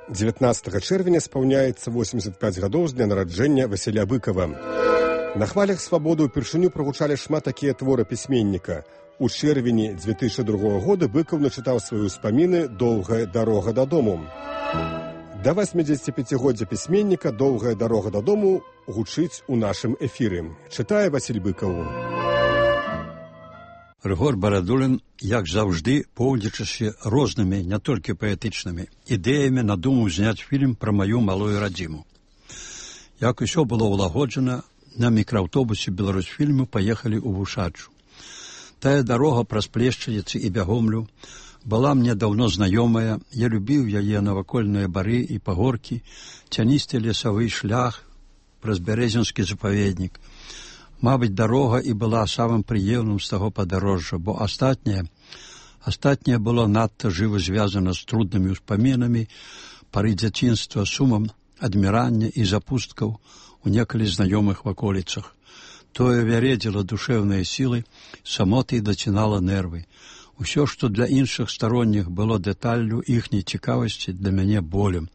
дзевятнаццатага чэрвеня спаўняецца восемьдзесят пять гадоў з дня нараджэння Васіля Быкова. На хвалях «Свабоды» упершыню прагучалі шмат такія творы пісьменніка. У чэрвені дзве тысячы другога года Быкаў начытаў свае ўспаміны «Доўгая дарога дадому». Да восьмідзесяціпяцігоддзя пісьменніка «Доўгая дарога дадому» гучыць у нашым эфіры. Чытае Васіль Быкаў. Рыгор Барадулін, як заўжды, поўдзячыся рознымі, не толькі паэтычнымі, ідэямі надумаў зняць фільм пра маю малую радзіму. Як усё было ўлагоджана, на мікрааўтобусе «Беларусьфільму» паехалі ў Вушачу. Тая дарога праз Плешчаніцы і Бягомлю была мне даўно знаёмая, я любіў яе навакольныя бары і пагоркі, цяністы лесавы шлях праз бярэзінскі запаведнік. Мабыць, дарога і была самым прыемным з таго падарожжа, бо астатняе, астатняе было надта жыва звязана з труднымі ўспамінамі, пары дзяцінства, сумам, адмірання і запусткаў у некалі знаёмых ваколіцах. Тое вяредзіла душэўныя сілы, самоты дацінала нервы. Усё, што для іншых старонніх было дэталлю іхняй цікавасці, для мяне болем.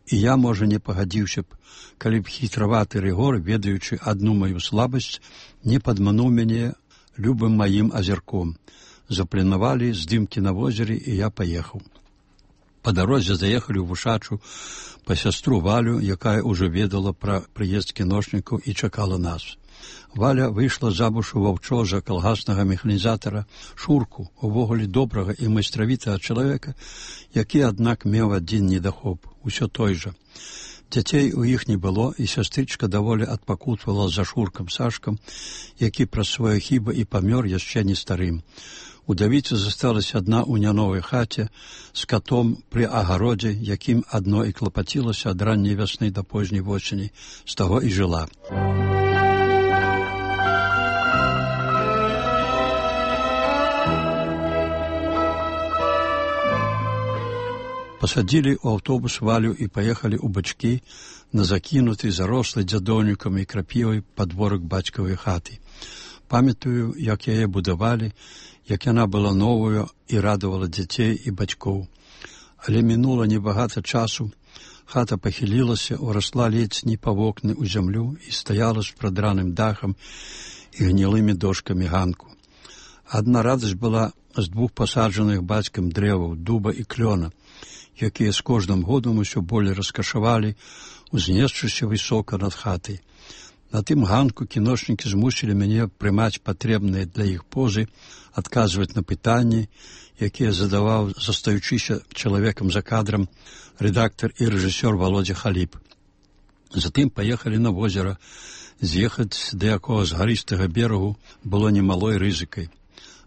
І я, можа, не пагадзіўся б, калі б хітраваты Рыгор, ведаючы адну маю слабасць, не падмануў мяне любым маім азірком. Запланавалі здымкі на возеры, і я паехаў. Па дарозе заехалі ў Вушачу па сястру Валю, якая ўжо ведала пра прыезд кіношнікаў і чакала нас. Валя выйшла замуж у ваўчожа калгаснага механізатара Шурку, увогуле добрага і майстравітага чалавека, які, аднак, меў адзін недахоп, усё той жа. Дзяцей у іх не было, і сястрычка даволі адпакутвала за Шуркам Сашкам, які праз свае хібы і памёр яшчэ не старым. Удавіца засталася адна ў няновай хаце з катом пры агародзе, якім адно і клапацілася ад ранняй вясны да позняй восені, з таго і жыла. Пасадзілі ў аўтобус Валю і паехалі ў бачкі на закінуты, зарослы дзядоўнікам і крапівай падворак бацькавай хаты. Памятаю, як яе будавалі, як яна была новую і радавала дзяцей і бацькоў. Але мінула небагата часу, хата пахілілася, урасла ледзь не па вокны ў зямлю і стаяла з прадраным дахам і гнілымі дошкамі ганку. Адна радасць была з двух пасаджаных бацькам дрэваў, дуба і клёна, якія з кожным годам усё болей раскашавалі, узнесшыся высока над хатай. На тым ганку кіношнікі змусілі мяне прымаць патрэбныя для іх позы, адказваць на пытанні, якія задаваў, застаючыся чалавекам за кадрам, рэдактар і рэжысёр Володя Халіп. Затым паехалі на возера. З'ехаць да якога з гарыстага берагу было немалой рызыкай,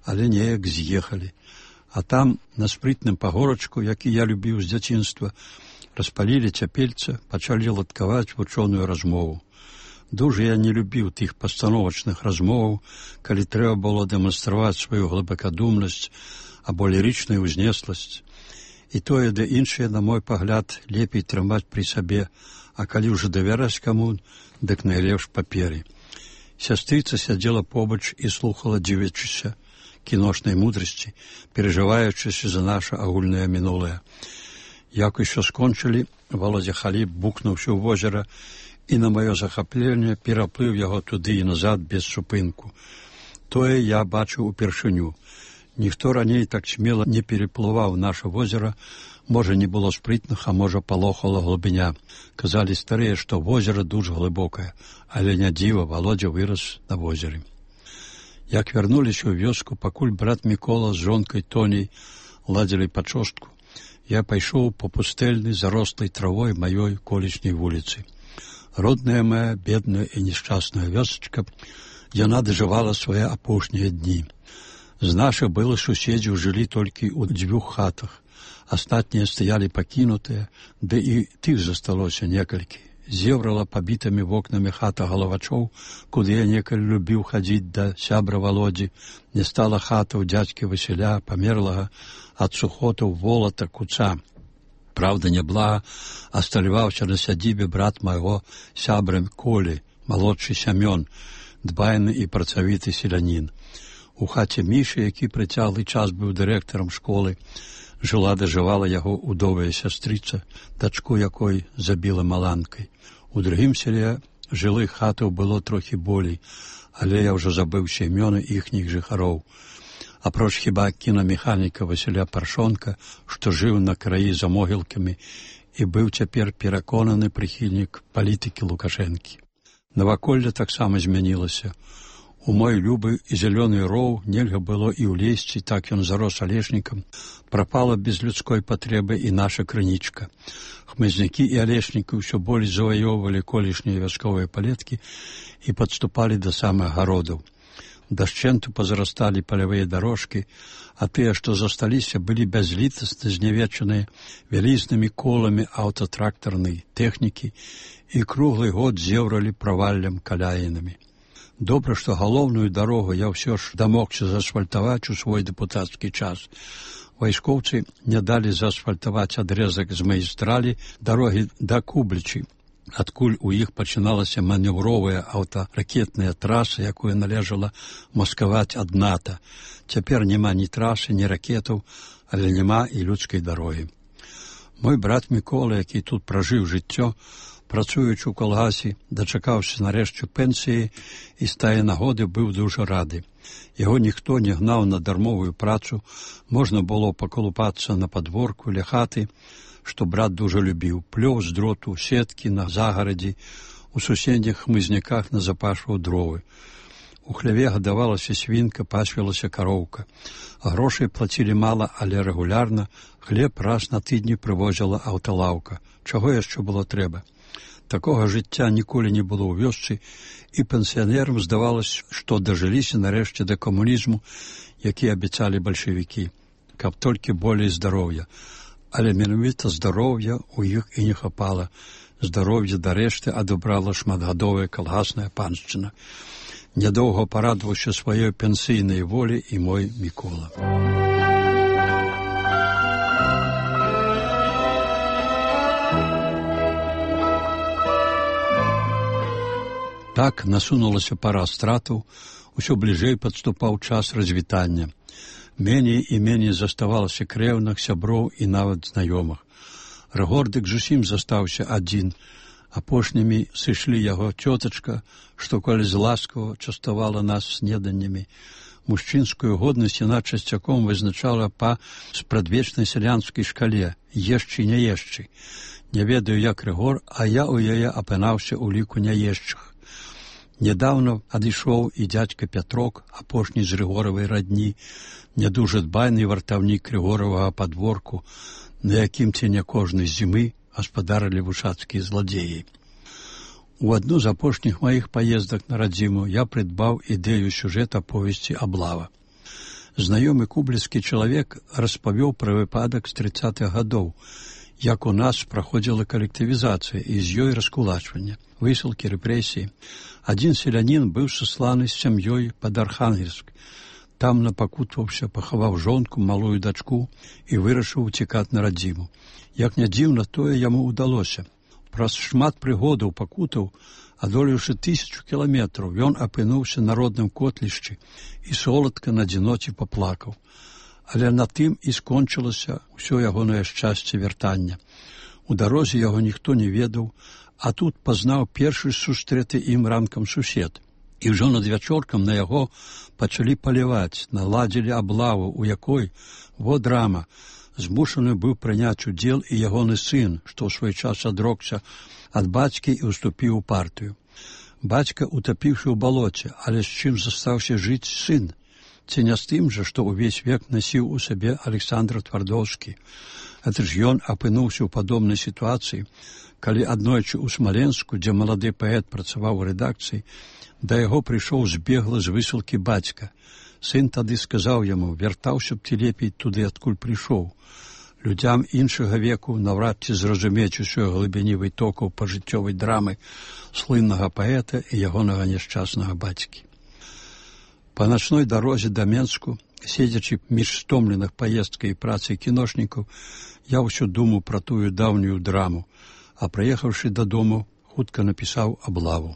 але неяк з'ехалі. А там, на спрытным пагорачку, які я любіў з дзяцінства, распалілі цяпельца, пачалі ладкаваць вучоную размову. Дужа я не любіў тых пастановачных размоваў, калі трэба было дэманстраваць сваю глыбакадумнасць або лірычную ўзнесласць. І тое, да іншае, на мой пагляд, лепей трымаць пры сабе, а калі ўжо давяраць каму, дык найлепш паперы. Сястрыца сядзела побач і слухала, дзівячыся кіношнай мудрасці, перажываючыся за наша агульнае мінулае. Як усё скончылі, Володя Халіп букнуўся ў возера, і на маё захапленне пераплыў яго туды і назад без супынку. Тое я бачыў упершыню. Ніхто раней так смела не переплываў наша возера, можа, не было спрытных, а можа, палохала глыбіня. Казалі старыя, што возера дужа глыбокае, але не дзіва, Володя вырас на возеры. Як вярнуліся ў вёску, пакуль брат Мікола з жонкай Тоняй ладзілі пачостку, я пайшоў па пустэльнай зарослай травой маёй колішняй вуліцы. Родная моя, бедная і несчастная вёсачка, яна дажывала свае апошнія дні. З нашых былых суседзяў жылі толькі ў дзвюх хатах. Астатнія стаялі пакінутыя, ды і тых засталося некалькі. Зеврала пабітымі вокнамі хата галавачоў, куды я некалі любіў хадзіць да сябра Володзі. Не стала хата ў дзядзькі Васіля, памерлага ад сухотаў волата куца. Правда, няблага асталяваўся на сядзібе брат майго сябра Колі, малодшы Сямён, дбайны і працавіты селянін. У хаце Мішы, які прыцяглы час быў дырэктарам школы, жыла дажывала яго удовая сястрыца, дачку якой забіла маланкай. У другім селе жылых хатаў было трохі болей, але я ўжо забыўся імёны іхніх жыхароў. Апроч хіба кінамеханіка Васіля Паршонка, што жыў на краі за могілкамі і быў цяпер пераконаны прыхільнік палітыкі Лукашэнкі. Наваколле таксама змянілася. У мой любы і зялёны роў нельга было і ўлезці, так ён зарос алешнікам. Прапала без людской патрэбы і наша крынічка. Хмызнякі і алешнікі ўсё болей заваёўвалі колішнія вясковыя палеткі і падступалі да самых гародаў. Дашчэнту пазарасталі палявыя дарожкі, а тыя, што засталіся, былі бязлітасна знявечаныя вялізнымі коламі аўтатрактарнай тэхнікі і круглы год зеўралі праваллем каляінамі. Добра, што галоўную дарогу я ўсё ж дамогся заасфальтаваць у свой дэпутацкі час. Вайскоўцы не далі заасфальтаваць адрэзак з магістралі дарогі да Кублічы. адкуль у іх пачыналася манеўровая аўтаракетная траса, якую належала маскаваць ад НАТО. Цяпер няма ні трасы, ні ракетаў, але няма і людскай дарогі. Мой брат Мікола, які тут пражыў жыццё, працуючы ў калгасе, дачакаўся нарэшце пенсіі і з тае нагоды быў дужа рады. Яго ніхто не гнаў на дармовую працу, можна было пакалупацца на падворку ля хаты, што брат дужа любіў, плёў з дроту, сеткі на загарадзі, у суседніх хмызняках назапашваў дровы. У хляве гадавалася свінка, пасвілася кароўка. Грошай плацілі мала, але рэгулярна, хлеб раз на тыдні прывозіла аўталаўка. Чаго яшчэ было трэба? Такога жыцця ніколі не было ў вёсцы, і пенсіянерам здавалася, што дажыліся нарэшце да камунізму, які абяцалі бальшавікі, каб толькі болей здароўя. Але менавіта здароўя ў іх і не хапала. Здароўе дарэшты адабрала шматгадовая калгасная паншчына. Нядоўга парадаваўся сваёй пенсійнай волі і мой Мікола. Так насунулася пара стратаў, усё бліжэй падступаў час развітання. Меней і меней заставалася крэўных, сяброў і нават знаёмых. Рыгордык зусім застаўся адзін. Апошнімі сышлі яго цётачка, што калі з ласкава частавала нас снеданнямі. Мужчынскую годнасць яна часцяком вызначала па спрадвечнай сялянскай шкале «ешчы, не ешчы». Не ведаю, як Рыгор, а я ў яе апынаўся ў ліку няешчых. Нядаўна адышоў і дзядзька Пятрок, апошні з Рыгоравай радні, нядужа дбайны вартаўнік Рыгоравага падворку, на якім ці не кожнай зімы гаспадарылі вушацкія зладзеі. У адну з апошніх маіх паездак на радзіму я прыдбаў ідэю сюжэта повесці «Аблава». Знаёмы кубліцкі чалавек распавёў пра выпадак з трыццатых гадоў, як у нас праходзіла калектывізацыя і з ёй раскулачванне, высылкі, рэпрэсіі. Адзін селянін быў сасланы з сям'ёй пад Архангельск. Там напакутваўся, пахаваў жонку, малую дачку і вырашыў уцікаць на радзіму. Як не дзіўна, тое яму ўдалося. Праз шмат прыгодаў, пакутаў, адолеўшы тысячу кіламетраў, ён апынуўся на родным котлішчы і соладка на адзіноце паплакаў. Але на тым і скончылася ўсё ягонае шчасце вяртання. У дарозе яго ніхто не ведаў, а тут пазнаў першы сустрэты ім ранкам сусед. І ўжо над вячоркам на яго пачалі паліваць, наладзілі аблаву, у якой, во драма, змушаны быў прыняць удзел і ягоны сын, што ў свой час адрокся ад бацькі і ўступіў у партыю. Бацька утапіўшы ў балоце, але з чым застаўся жыць сын? Ці не з тым жа, што ўвесь век насіў у сабе Александр Твардоўскі. Это ж ён апынуўся ў падобнай сітуацыі, калі аднойчы ў Смаленску, дзе малады паэт працаваў у рэдакцыі, да яго прыйшоў збегла з высылкі бацька. Сын тады сказаў яму, вяртаўся б ты лепей туды, адкуль прыйшоў. Людзям іншага веку наўрад ці зразумець усёй глыбіні вытокаў пажыццёвай драмы слыннага паэта і ягонага няшчаснага бацькі. Па начной дарозе да Менску, седзячы між стомленых паездкай і працай кіношнікаў, я ўсё думаў пра тую даўнюю драму, а прыехаўшы дадому, хутка напісаў «Аблаву».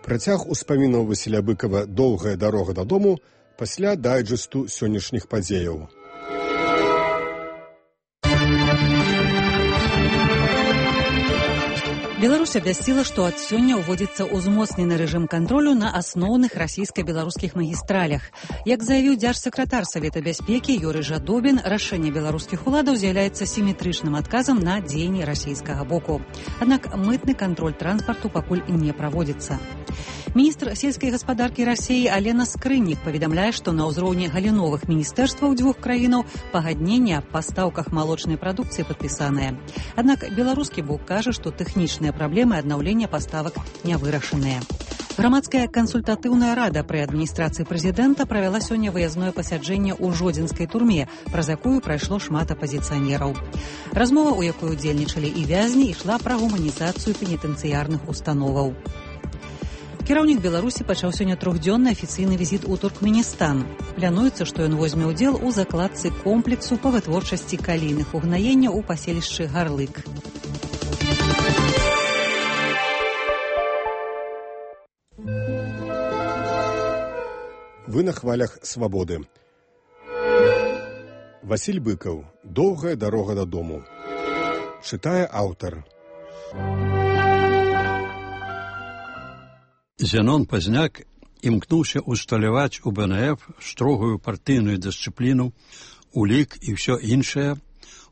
Працяг успамінаў Васіля Быкава «Доўгая дарога дадому» пасля дайджэсту сённяшніх падзеяў. Беларусь абвясціла, што ад сёння ўводзіцца ўзмоцнены рэжым кантролю на асноўных расійска-беларускіх магістралях. Як заявіў дзяржсакратар Савета бяспекі Юрый Жадобін, рашэнне беларускіх уладаў з'яўляецца сіметрычным адказам на дзеянні расійскага боку. Аднак мытны кантроль транспарту пакуль не праводзіцца. Міністр сельскай гаспадаркі Расіі Алена Скрыннік паведамляе, што на ўзроўні галіновых міністэрстваў дзвюх краінаў пагадненне аб пастаўках малочнай прадукцыі падпісанае. Аднак беларускі бок кажа, што тэхнічныя праблемы аднаўлення паставак не вырашаныя. Грамадская кансультатыўная рада пры адміністрацыі прэзідэнта правяла сёння выязное пасяджэнне ў жодзінскай турме, праз якую прайшло шмат апазіцыянераў. Размова, у якой удзельнічалі і вязні, ішла пра гуманізацыю пенітэнцыярных установаў. Кіраўнік Беларусі пачаў сёння трохдзённы афіцыйны візіт у Туркменістан. Плануецца, што ён возьме ўдзел у закладцы комплексу па вытворчасці калійных угнаенняў у паселішчы Гарлык. Вы на хвалях свабоды. Васіль Быкаў. Доўгая дарога дадому. Чытае аўтар. Зенон Пазняк імкнуўся усталяваць у БНФ строгую партыйную дысцыпліну, улік і ўсё іншае,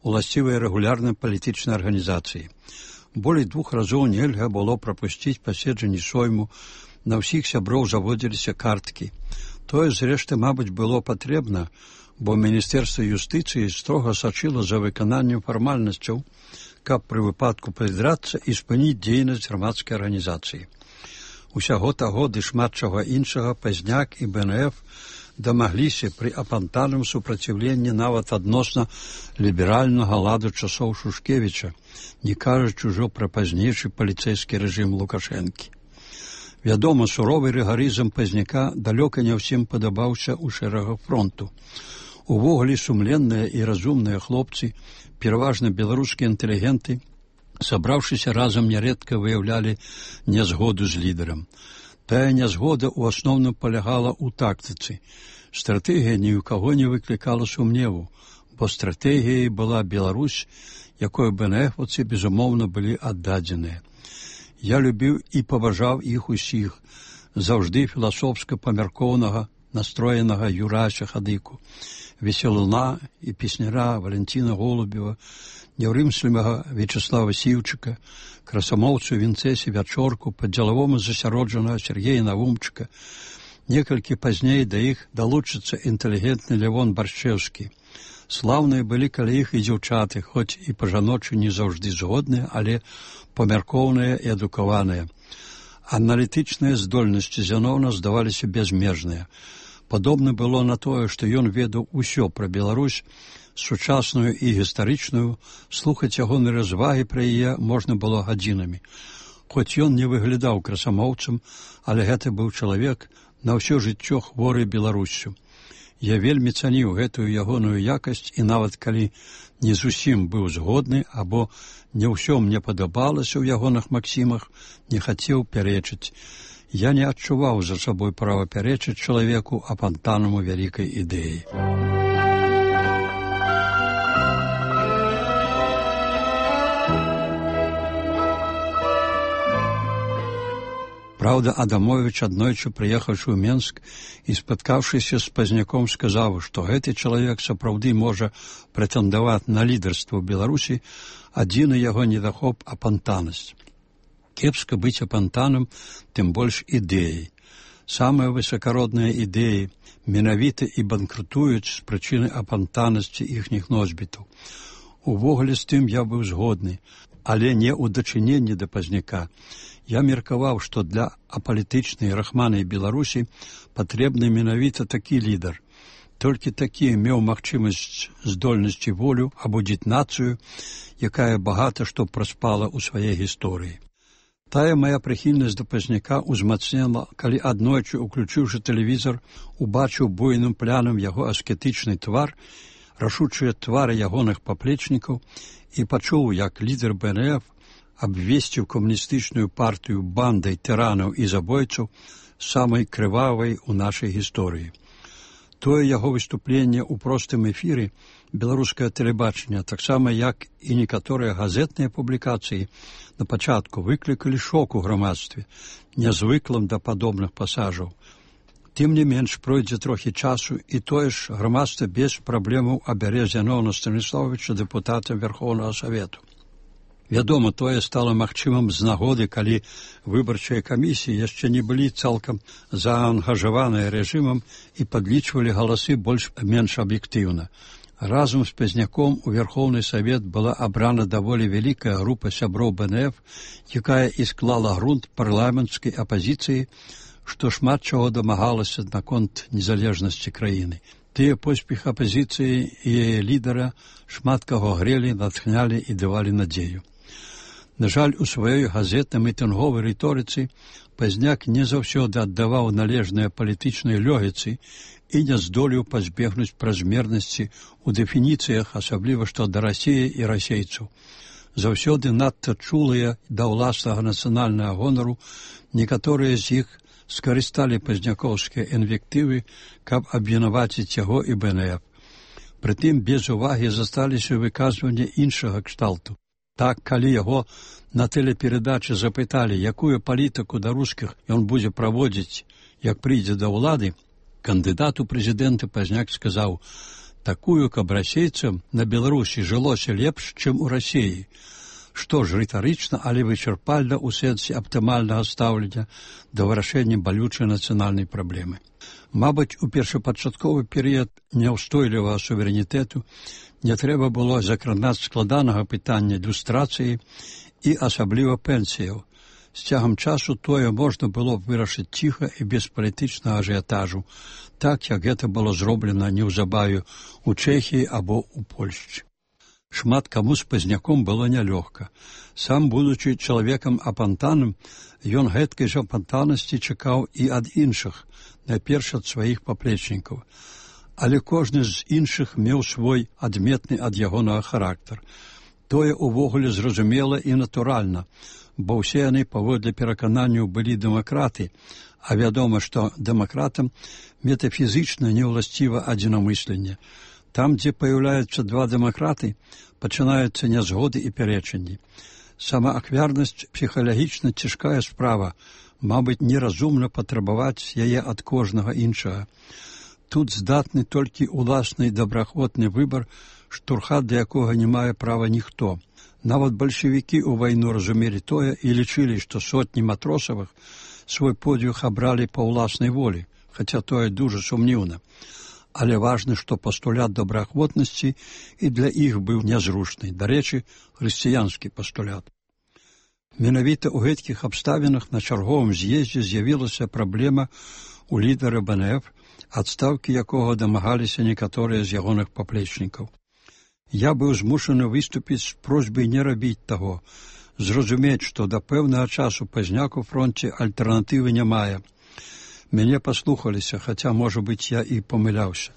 уласцівыя рэгулярнай палітычнай арганізацыі. Болей двух разоў нельга было прапусціць паседжанні сойму, на ўсіх сяброў заводзіліся карткі. Тое, зрэшты, мабыць, было патрэбна, бо Міністэрства юстыцыі строга сачыла за выкананнем фармальнасцяў, каб пры выпадку прыдрацца і спыніць дзейнасць грамадскай арганізацыі. Усяго таго ды шмат чаго іншага Пазняк і БНФ дамагліся пры апантаным супраціўленні нават адносна ліберальнага ладу часоў Шушкевіча, не кажучы ўжо пра пазнейшы паліцэйскі рэжым Лукашэнкі. Вядома, суровы рыгарызм Пазняка далёка не ўсім падабаўся ў шэрагах фронту. Увогуле сумленныя і разумныя хлопцы, пераважна беларускія інтэлігенты, сабраўшыся разам нярэдка выяўлялі нязгоду з лідарам. Тая нязгода ў асноўным палягала ў тактыцы. Стратэгія ні ў каго не выклікала сумневу, бо стратэгіяй была Беларусь, якой БНФаўцы, безумоўна, былі аддадзеныя. Я любіў і паважаў іх усіх, заўжды філасофска-памяркоўнага, настроенага Юрася Хадыку, весялуна і песняра Валентина Голубева, няўрымслівага Вячеслава Сіўчыка, красамоўцу Вінцэсі Вячорку, па-дзелавому засяроджанага Сергея Навумчыка. Некалькі пазней да іх далучыцца інтэлігентны Лявон Баршчэўскі. Слаўныя былі каля іх і дзяўчаты, хоць і па-жаночы не заўжды згодныя, але памяркоўныя і адукаваныя. Аналітычныя здольнасці Зенона здаваліся бязмежныя. Падобна было на тое, што ён ведаў усё пра Беларусь, сучасную і гістарычную, слухаць ягоны развагі пра яе можна было гадзінамі. Хоць ён не выглядаў красамоўцам, але гэта быў чалавек на ўсё жыццё хворы Беларуссю. Я вельмі цаніў гэтую ягоную якасць і нават калі не зусім быў згодны або не ўсё мне падабалася ў ягоных максімах, не хацеў пярэчыць. Я не адчуваў за сабой права пярэчыць чалавеку апантанаму вялікай ідэі. Праўда, Адамовіч, аднойчы прыехаўшы ў Менск і спаткаўшыся з Пазняком, сказаў, што гэты чалавек сапраўды можа прэтэндаваць на лідарства ў Беларусі, адзіны яго недахоп апантанасць. Кепска быць апантаным, тым больш ідэяй. Самыя высакародныя ідэі менавіта і банкрутуюць з прычыны апантанасці іхніх носьбітаў. Увогуле з тым я быў згодны, але не ў дачыненні да Пазняка. Я меркаваў, што для апалітычнай рахманай Беларусі патрэбны менавіта такі лідар. Толькі такі меў магчымасць, здольнасць і волю абудзіць нацыю, якая багата што праспала ў сваёй гісторыі. Тая мая прыхільнасць да Пазняка ўзмацнела, калі аднойчы, уключыўшы тэлевізор, убачыў буйным плянам яго аскетычны твар, рашучыя твары ягоных паплечнікаў і пачуў, як лідар БНФ абвесціў камуністычную партыю бандай тыранаў і забойцаў самай крывавай у нашай гісторыі. Тое яго выступленне ў простым эфіры беларускае тэлебачання, таксама як і некаторыя газетныя публікацыі, на пачатку выклікалі шок у грамадстве, нязвыклым да падобных пасажаў. Тым не менш, пройдзе трохі часу, і тое ж грамадства без праблемаў абярэ Зенона Станіславовича дэпутатам Верхоўнага Савету. Вядома, тое стала магчымым з нагоды, калі выбарчыя камісіі яшчэ не былі цалкам заангажаваныя рэжымам і падлічвалі галасы больш-менш аб'ектыўна. Разам з Пазняком у Верхоўны Савет была абрана даволі вялікая група сяброў БНФ, якая і склала грунт парламенцкай апазіцыі, што шмат чаго дамагалася наконт незалежнасці краіны. Тыя поспех апазіцыі і яе лідара шмат каго грелі, натхнялі і давалі надзею. На жаль, у сваёй газетна-мітынговай рыторыцы Пазняк не заўсёды аддаваў належныя палітычнай лёгіцы і не здолеў пазбегнуць празмернасці ў дэфініцыях, асабліва што да Расіі і расейцаў. Заўсёды надта чулыя да ўласнага нацыянальнага гонару, некаторыя з іх скарысталі пазнякоўскія інвектывы, каб абвінаваціць яго і БНФ. Прытым без увагі засталіся выказванні іншага кшталту. Так, калі яго на тэлеперадачы запыталі, якую палітыку да рускіх ён будзе праводзіць, як прыйдзе да ўлады, кандыдат у прэзідэнты Пазняк сказаў: такую, каб расейцам на Беларусі жылося лепш, чым у Расіі. Што ж, рытарычна, але вычарпальна ў сэнсе аптымальнага стаўлення да вырашэння балючай нацыянальнай праблемы. Мабыць, у першапачатковы перыяд няўстойлівага суверэнітэту не трэба было закранаць складанага пытання люстрацыі і асабліва пенсіяў. З цягам часу тое можна было б вырашыць ціха і без палітычнага ажыятажу, так, як гэта было зроблена неўзабаве ў Чэхіі або ў Польшчы. Шмат каму з Пазняком было нялёгка. Сам, будучы чалавекам апантаным, ён гэткай жа апантанасці чакаў і ад іншых, найперш ад сваіх паплечнікаў. Але кожны з іншых меў свой адметны ад ягонага характар. Тое ўвогуле зразумела і натуральна, бо ўсе яны паводле перакананняў былі дэмакраты, а вядома, што дэмакратам метафізічна неўласціва адзінамысленне. Там, дзе паяўляюцца два дэмакраты, пачынаюцца нязгоды і пярэчанні. Сама ахвярнасць псіхалагічна цяжкая справа, мабыць, неразумна патрабаваць яе ад кожнага іншага. Тут здатны толькі ўласны добраахвотны выбар, штурхат да якога не мае права ніхто. Нават бальшавікі ў вайну разумелі тое і лічылі, што сотні матросавых свой подвиг абралі па ўласнай волі, хаця тое дужа сумніўна. Але важна, што пастулят добраахвотнасці і для іх быў нязручны, дарэчы, хрысціянскі пастулят. Менавіта ў гэткіх абставінах на чарговым з'ездзе з'явілася праблема у лідара БНФ, адстаўкі якога дамагаліся некаторыя з ягоных паплечнікаў. Я быў змушаны выступіць з просьбай не рабіць таго, зразумець, што да пэўнага часу Пазняк у фронце альтэрнатывы не мае. Мяне паслухаліся, хаця, можа быць, я і памыляўся,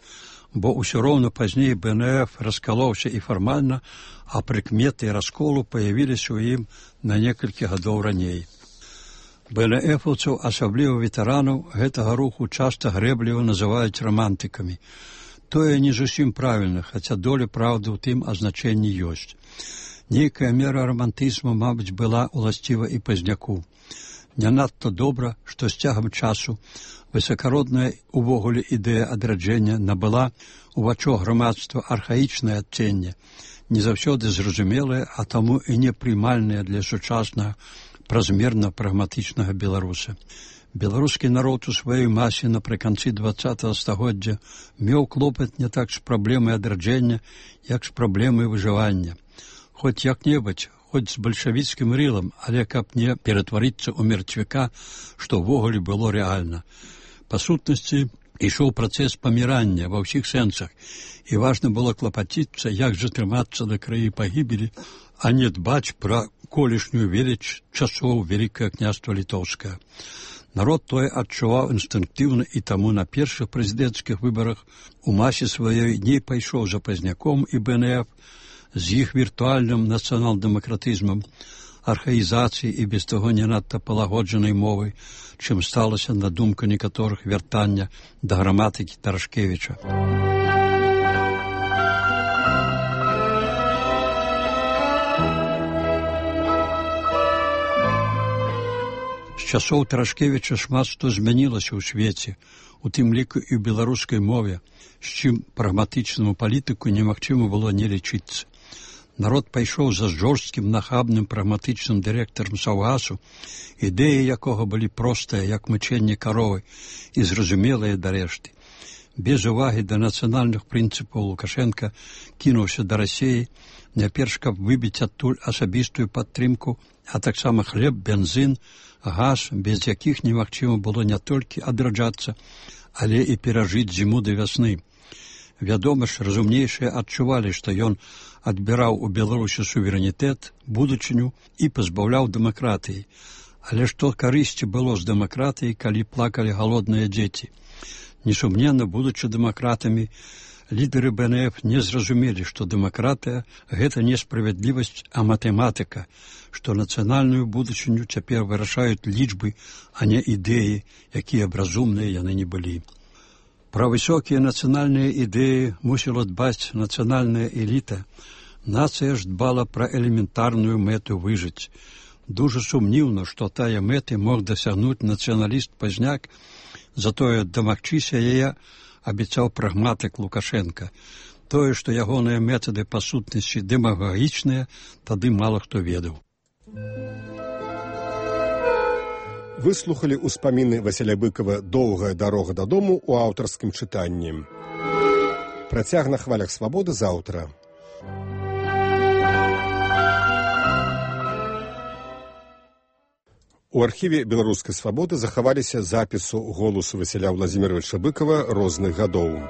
бо ўсё роўна пазней БНФ раскалоўся і фармальна, а прыкметы расколу паявіліся ў ім на некалькі гадоў раней. БНФаўцаў, асабліва ветэранаў, гэтага руху часта грэбліва называюць рамантыкамі. Тое не зусім правільна, хаця доля праўды ў тым азначэнні ёсць. Нейкая мера рамантызму, мабыць, была ўласціва і Пазняку. Не надта добра, што з цягам часу высакародная увогуле ідэя адраджэння набыла у вачо грамадства архаічнае адценне, не заўсёды зразумелае, а таму і непрымальнае для сучаснага празмерна прагматычнага беларуса. Беларускі народ у сваёй масе напрыканцы дваццатага стагоддзя меў клопат не так з праблемай адраджэння, як з праблемай выжывання. Хоць як-небудзь, хоць з бальшавіцкім рылам, але каб не ператварыцца ў мертвяка, што ўвогуле было рэальна. Па сутнасці, ішоў працэс памірання ва ўсіх сэнсах, і важна было клапаціцца, як затрымацца да краі пагібелі, а не дбаць пра колішнюю веліч часоў Вялікае княства Літоўскае. Народ тое адчуваў інстынктыўна, і таму на першых прэзідэнцкіх выбарах у масе сваёй не пайшоў за Пазняком і БНФ, з іх віртуальным нацыянал-дэмакратызмам, архаізацыяй і без таго не надта палагоджанай мовай, чым сталася, на думку некаторых, вяртання да граматыкі Тарашкевіча. З часоў Тарашкевіча шмат што змянілася ў свеце, у тым ліку і ў беларускай мове, з чым прагматычнаму палітыку немагчыма было не лічыцца. Народ пайшоў за жорсткім, нахабным, прагматычным дырэктарам Саўгасу, ідэі якога былі простыя, як мычэнне каровы, і зразумелыя да рэшты. Без увагі да нацыянальных прынцыпаў Лукашенка кінуўся да Расіі, найперш каб выбіць адтуль асабістую падтрымку, а таксама хлеб, бензін, газ, без якіх немагчыма было не толькі адраджацца, але і перажыць зіму да вясны. Вядома ж, разумнейшыя адчувалі, што ён адбіраў у Беларусі суверэнітэт, будучыню і пазбаўляў дэмакратыі. Але што карысці было з дэмакратыяй, калі плакалі галодныя дзеці? Несумненна, будучы дэмакратамі, Лідары бэ эн эф не зразумелі, што дэмакратыя – гэта не справядлівасць, а матэматыка, што нацыянальную будучыню цяпер вырашаюць лічбы, а не ідэі, якія б разумныя яны не былі. Пра высокія нацыянальныя ідэі мусіла дбаць нацыянальная эліта. Нацыя ж дбала пра элементарную мэту выжыць. Дужа сумніўна, што тая мэты мог дасягнуць нацыяналіст-пазняк, затое дамагчыся яе абяцаў прагматык Лукашенка. Тое, што ягоныя метады па сутнасці дэмагагічныя, тады мала хто ведаў. Выслухалі ўспаміны Васіля Быкова «Доўгая дарога дадому» у аўтарскім чытанні. Працяг на хвалях свабоды заўтра. У архіве беларускай свабоды захаваліся запісу голасу Васіля Владзіміровича Быкова розных гадоў.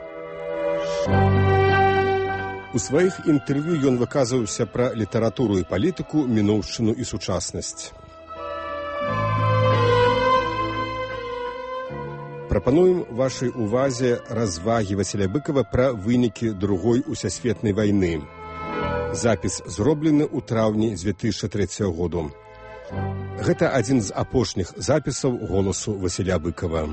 У сваіх інтэрв'ю ён выказваўся пра літаратуру і палітыку, мінуўшчыну і сучаснасць. Прапануем вашай увазе развагі Васіля Быкова пра вынікі другой усесветнай вайны. Запіс зроблены ў траўні дзве тысячы трэцяга году. Гэта адзін з апошніх запісаў голасу Васіля Быкова.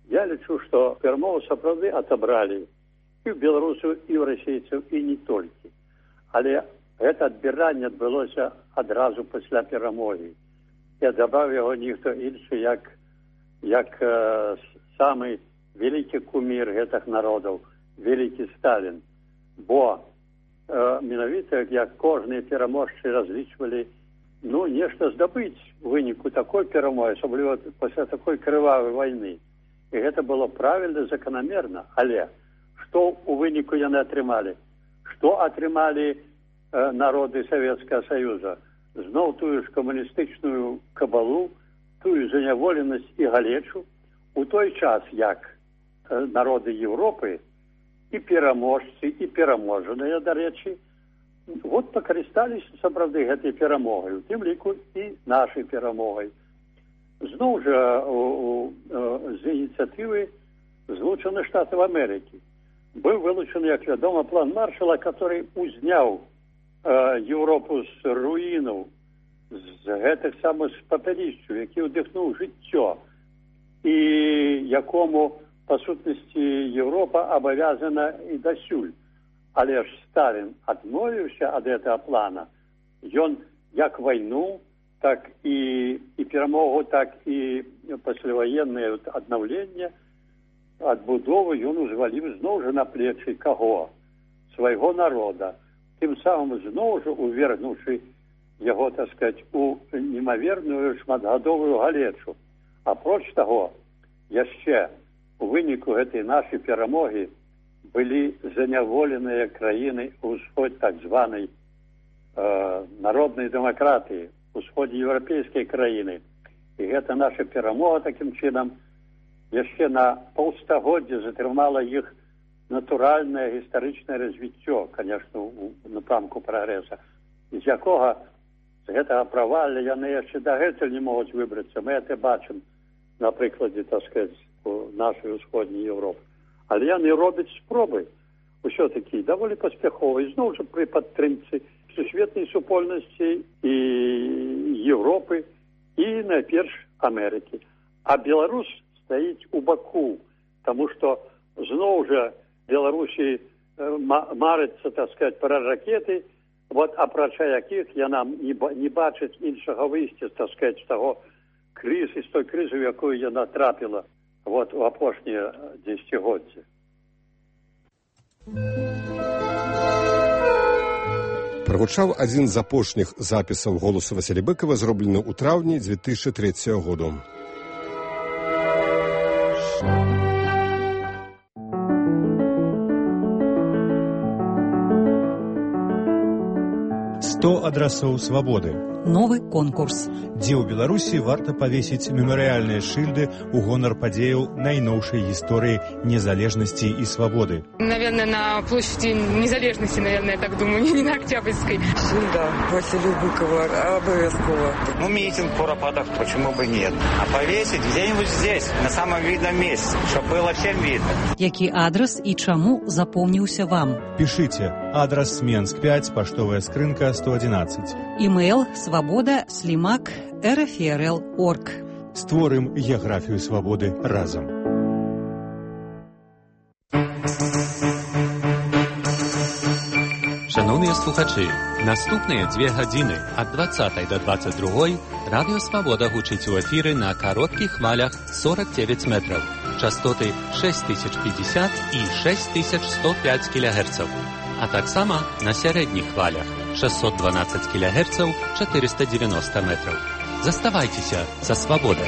Я лічу, што перамову сапраўды атабралі і ў беларусаў, і ў расейцаў, і не толькі. Але гэта адбіранне адбылося адразу пасля перамогі. І адабраў яго ніхто іншы, як, як э, самы вялікі кумір гэтых народаў, вялікі Сталін. Бо э, менавіта, як кожныя пераможцы разлічвалі, ну, нешта здабыць у выніку такой перамогі, асабліва пасля такой крывавай вайны. І гэта было правільна, заканамерна. Але што ў выніку яны атрымалі? Што атрымалі э, народы Савецкага Саюза? Зноў тую ж камуністычную кабалу, тую заняволенасць і галечу, у той час, як э, народы Еўропы і пераможцы, і пераможаныя, дарэчы, вот пакарысталіся сапраўды гэтай перамогай, у тым ліку і нашай перамогай. Зноў жа у, у, з ініцыятывы Злучаных Штатаў Амерыкі быў вылучаны, як вядома, план Маршала, который узняў э, Еўропу з руінаў, з гэтых самых папялішчаў, які ўдыхнуў жыццё, і якому па сутнасці Еўропа абавязана і дасюль. Але ж Сталін адмовіўся ад гэтага плана. Ён як вайну, так і, і перамогу, так і пасляваеннае аднаўленне, адбудову ён узваліў зноў жа на плечы каго? Свайго народа. Тым самым зноў жа увергнуўшы яго, так сказаць, у немаверную шматгадовую галечу. Апроч таго, яшчэ у выніку гэтай нашай перамогі былі заняволеныя краіны ўсход так званай э, народнай дэмакратыі, усходзе еўрапейскай краіны. І гэта наша перамога такім чынам яшчэ на паўстагоддзя затрымала іх натуральнае гістарычнае развіццё, конечно, у напрамку прагрэса, з якога з гэтага правалля яны яшчэ дагэтуль не могуць выбрацца. Мы гэта бачым на прыкладзе, так сказаць, нашай усходняй Еўропы. Але яны робяць спробы ўсё-такі даволі паспяховай, зноў жа пры падтрымцы сусветнай супольнасці і Еўропы, і найперш Амерыкі. А Беларусь стаіць у баку, таму што зноў жа Беларусі марыцца, так сказаць, пра ракеты, вот апрача якіх яна не, не бачыць іншага выйсця, так сказаць, з таго крызы, з той крызы, в якую яна трапіла вот у апошнія дзесяцігоддзі. Прагучаў адзін з апошніх запісаў голасу Васіля Быкова, зроблены ў траўні дзве тысячы трэцяга году. сто адрасоў свабоды. Новы конкурс. Дзе ў Беларусі варта павесіць мемарыяльныя шыльды ў гонар падзеяў найноўшай гісторыі незалежнасці і свабоды. Наверное, на площади Незалежности, наверное, я так думаю, не на Октябрьской. Шильда Василию Быкову обовязково. Ну, митинг куропатов, почему бы нет? А повесить где-нибудь здесь, на самом видном месте, чтобы было всем видно. Які адрес і чаму запомніўся вам? Пишите. Адрес Менск пять, поштовая скрынка сто одиннадцать. Имейл свобода слимак рфрл точка орг. Створым геаграфію свабоды разам. Шановні слухачі, наступні дві години від двадцятої до двадцять другої Радіо Свобода гучить у ефірі на коротких хвалях сорок дев'ять метрів, частоти шість тисяч п'ятдесят і шість тисяч сто п'ять кілогерців, а так само на середніх хвалях шістсот дванадцять кілогерців, чотириста дев'яносто метрів. Заставайтеся за свободою.